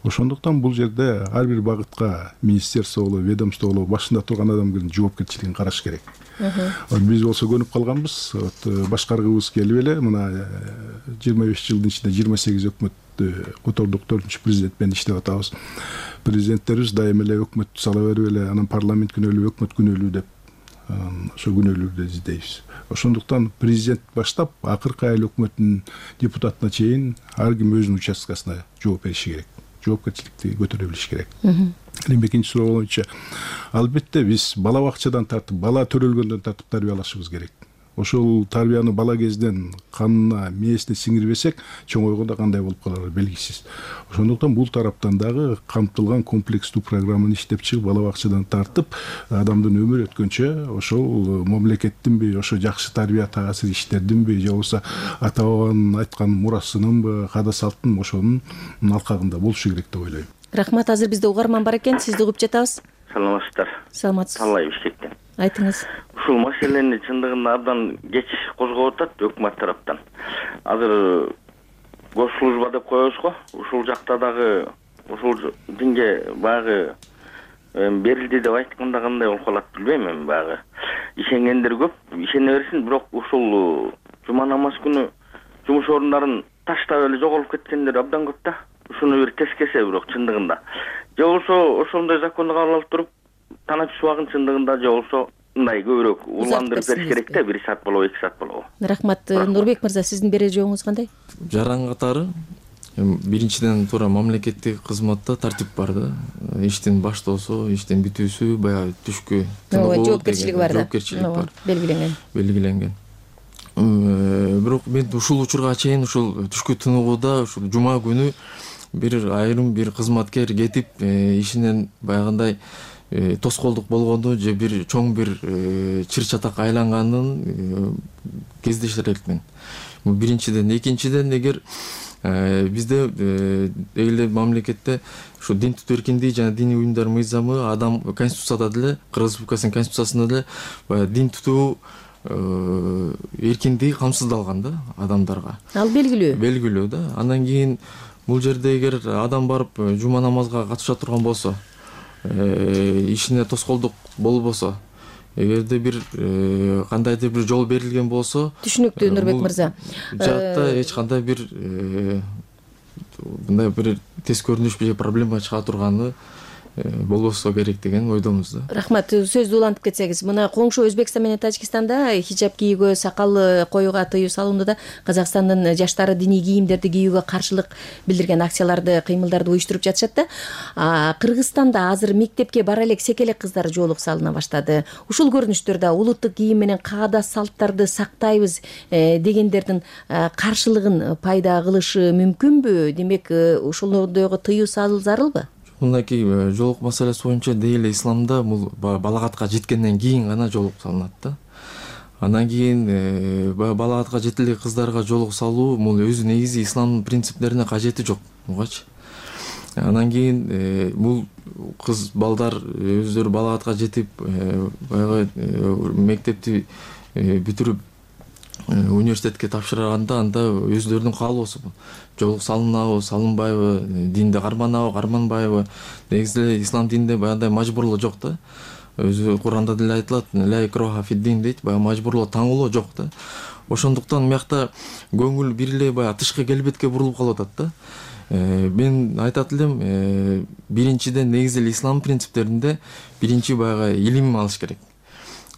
Ошондуктан бул жерде ар бир багытка министерство болобу, ведомство болобу башында турган адамдын жоопкерчилигин караш керек. Биз болсо көнүп калганбыз, башкаргыбыз келип эле мына жыйырма беш жылдын ичинде жыйырма сегиз өкмөттү котордук, төртүнчү президент менен иштеп атабыз. Президенттерибиз дайыма эле өкмөттү сала берип эле, анан парламент күнөөлүү, өкмөт күнөөлүү деп ошо күнөөлүүдү издейбиз. Ошондуктан президент баштап акыркы айыл өкмөттүн депутатына чейин ар ким өзүнүн участкасына жооп бериши керек. Жоопкерчиликти көтөрө билиш керек. Эми экинчи суроо боюнча, албетте биз бала бакчадан тартып, бала төрөлгөндөн тартып тарбиялашыбыз керек. Ошол тарбияны бала кезден канына, мээсине сиңирбесек, чоңойгондо кандай болуп калары белгисиз. Ошондуктан бул тараптан дагы камтылган комплекстүү программаны иштеп чыгып, бала бакчадан тартып, адамдын өмүрү өткөнчө ошол мамлекеттинби, ошо жакшы тарбия таасир иштердинби, же болбосо ата бабанын айткан мурасынынбы, каада салттын ошонун алкагында болушу керек деп ойлойм. Рахмат, азыр бизде угарман бар экен, сизди угуп жатабыз. Саламатсыздар. Саламатсыз. Талай бишкектен. Айтыңыз. Ушул маселени чындыгында абдан кеч козгоп атат өкмөт тараптан. Азыр госслужба деп коебуз го, ушул жакта дагы ушул динге багы берилди деп айтканда кандай болуп калат билбейм, эми багы ишенгендер көп, ишене берсин, бирок ушул жума намаз күнү жумуш орундарын таштап эле жоголуп кеткендер абдан көп да. Ушуну бир тескесе бирок чындыгында. Же болбосо ошондой законду кабыл алып туруп таначу убагын чындыгында же болбосо мындай көбүрөөк уландырып бериш керек да, бир саат болобу, эки саат болобу. Рахмат. Нурбек мырза, сиздин берер жообуңуз кандай? Жаран катары биринчиден туура мамлекеттик кызматта тартип бар да. Иштин баштоосу, иштин бүтүүсү, баягы түшкү жоопкерчилиги бар да. Жоопкерчилик бар. Белгиленген. Белгиленген. Бирок мен ушул учурга чейин ушул түшкү тыныгууда ушул жума күнү бир айрым бир кызматкер кетип ишинен баягындай тоскоолдук болгону же бир чоң бир чыр чатак айланганын кездешер элекмин. Бул биринчиден. Экинчиден, эгер бизде эле мамлекетте ушу дин тутуу эркиндиги жана диний уюмдар мыйзамы, адам конституцияда деле, Кыргыз Республикасынын конституциясында деле баягы дин тутуу эркиндиги камсыздалган да адамдарга. Ал белгилүү. Белгилүү да. Андан кийин бул жерде эгер адам барып жума намазга катыша турган болсо, ишине тоскоолдук болбосо, эгерде бир кандайдыр бир жол берилген болсо, түшүнүктүү Нурбек мырза. Жакта эч кандай бир мындай бир тез көрүнүш же проблема чыга турганы болбосо керек деген ойдомуз да. Рахмат. Сөздү улантып кетсеңиз, мына коңшу Өзбекстан менен Тажикстанда хижап кийүүгө, сакал коюуга тыюу салуунда да Казакстандын жаштары диний кийимдерди кийүүгө каршылык билдирген акцияларды, кыймылдарды уюштуруп жатышат да. Кыргызстанда азыр мектепке бара элек секелек кыздар жоолук салына баштады. Ушул көрүнүштөрдө улуттук кийим менен каада салттарды сактайбыз дегендердин каршылыгын пайда кылышы мүмкүнбү? Демек, ушулордогу тыюу салуу зарылбы? Мындай жоолук маселеси боюнча дейли исламда бул балагатка жеткенден кийин гана жоолук салынат да. Андан кийин балагатка жете элек кыздарга жоолук салуу бул өзү негизи исламдын принциптерине кажети жок, бугачы. Андан кийин бул кыз балдар өздөрү балагатка жетип, баягы мектепти бүтүрүп университетке тапшырганда анда өздөрүнүн каалоосу жол салынабы салынбайбы, динди карманабы карманбайбы. Негизи эле ислам дининде баягындай мажбурлоо жок да. Өзү Куранда деле айтылат, ла икраха фид-дин дейт, баягы мажбурлоо, таңуулоо жок да. Ошондуктан мыякта көңүл бир эле баягы тышкы келбетке бурулуп калып атат да. Мен айтат элем, биринчиден негизи эле ислам принциптеринде биринчи баягы илим алыш керек.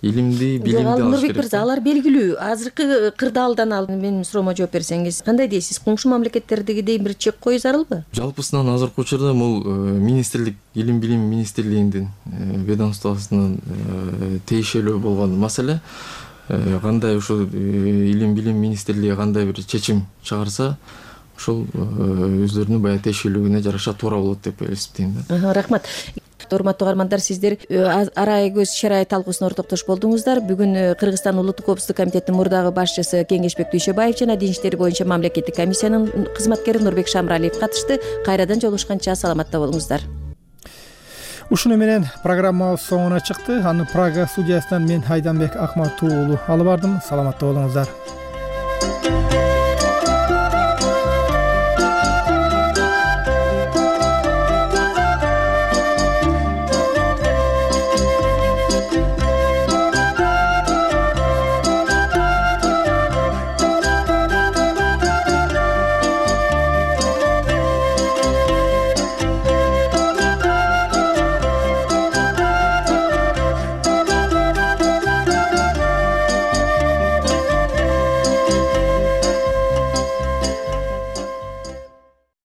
Илимди, билимди алыш Нурбек керек. мырза, алар белгилүү. Азыркы кырдаалдан алып менин суроомо жооп берсеңиз, кандай дейсиз? Коңшу мамлекеттердегидей бир чек коюу зарылбы? Жалпысынан азыркы учурда бул министрлик, илим билим министрлигинин ведомствосунун тиешелүү болгон маселе. Кандай ушул илим билим министрлиги кандай бир чечим чыгарса, ошол өздөрүнүн баягы тиешелүүлүгүнө жараша туура болот деп эсептейм да. Рахмат. Урматтуу каармандар, сиздер арай көз шарай талкуусуна ортоктош болдуңуздар. Бүгүн Кыргызстан Улуттук коопсуздук комитетинин мурдагы башчысы Кеңешбек Дүйшөбаев жана Дин иштери боюнча мамлекеттик комиссиянын кызматкери Нурбек Шамралиев катышты. Кайрадан жолугушканча саламатта болуңуздар. Ушуну менен программабыз соңуна чыкты. Аны Прага студиясынан мен Айданбек Акматуу уулу алып бардым. Саламатта болуңуздар.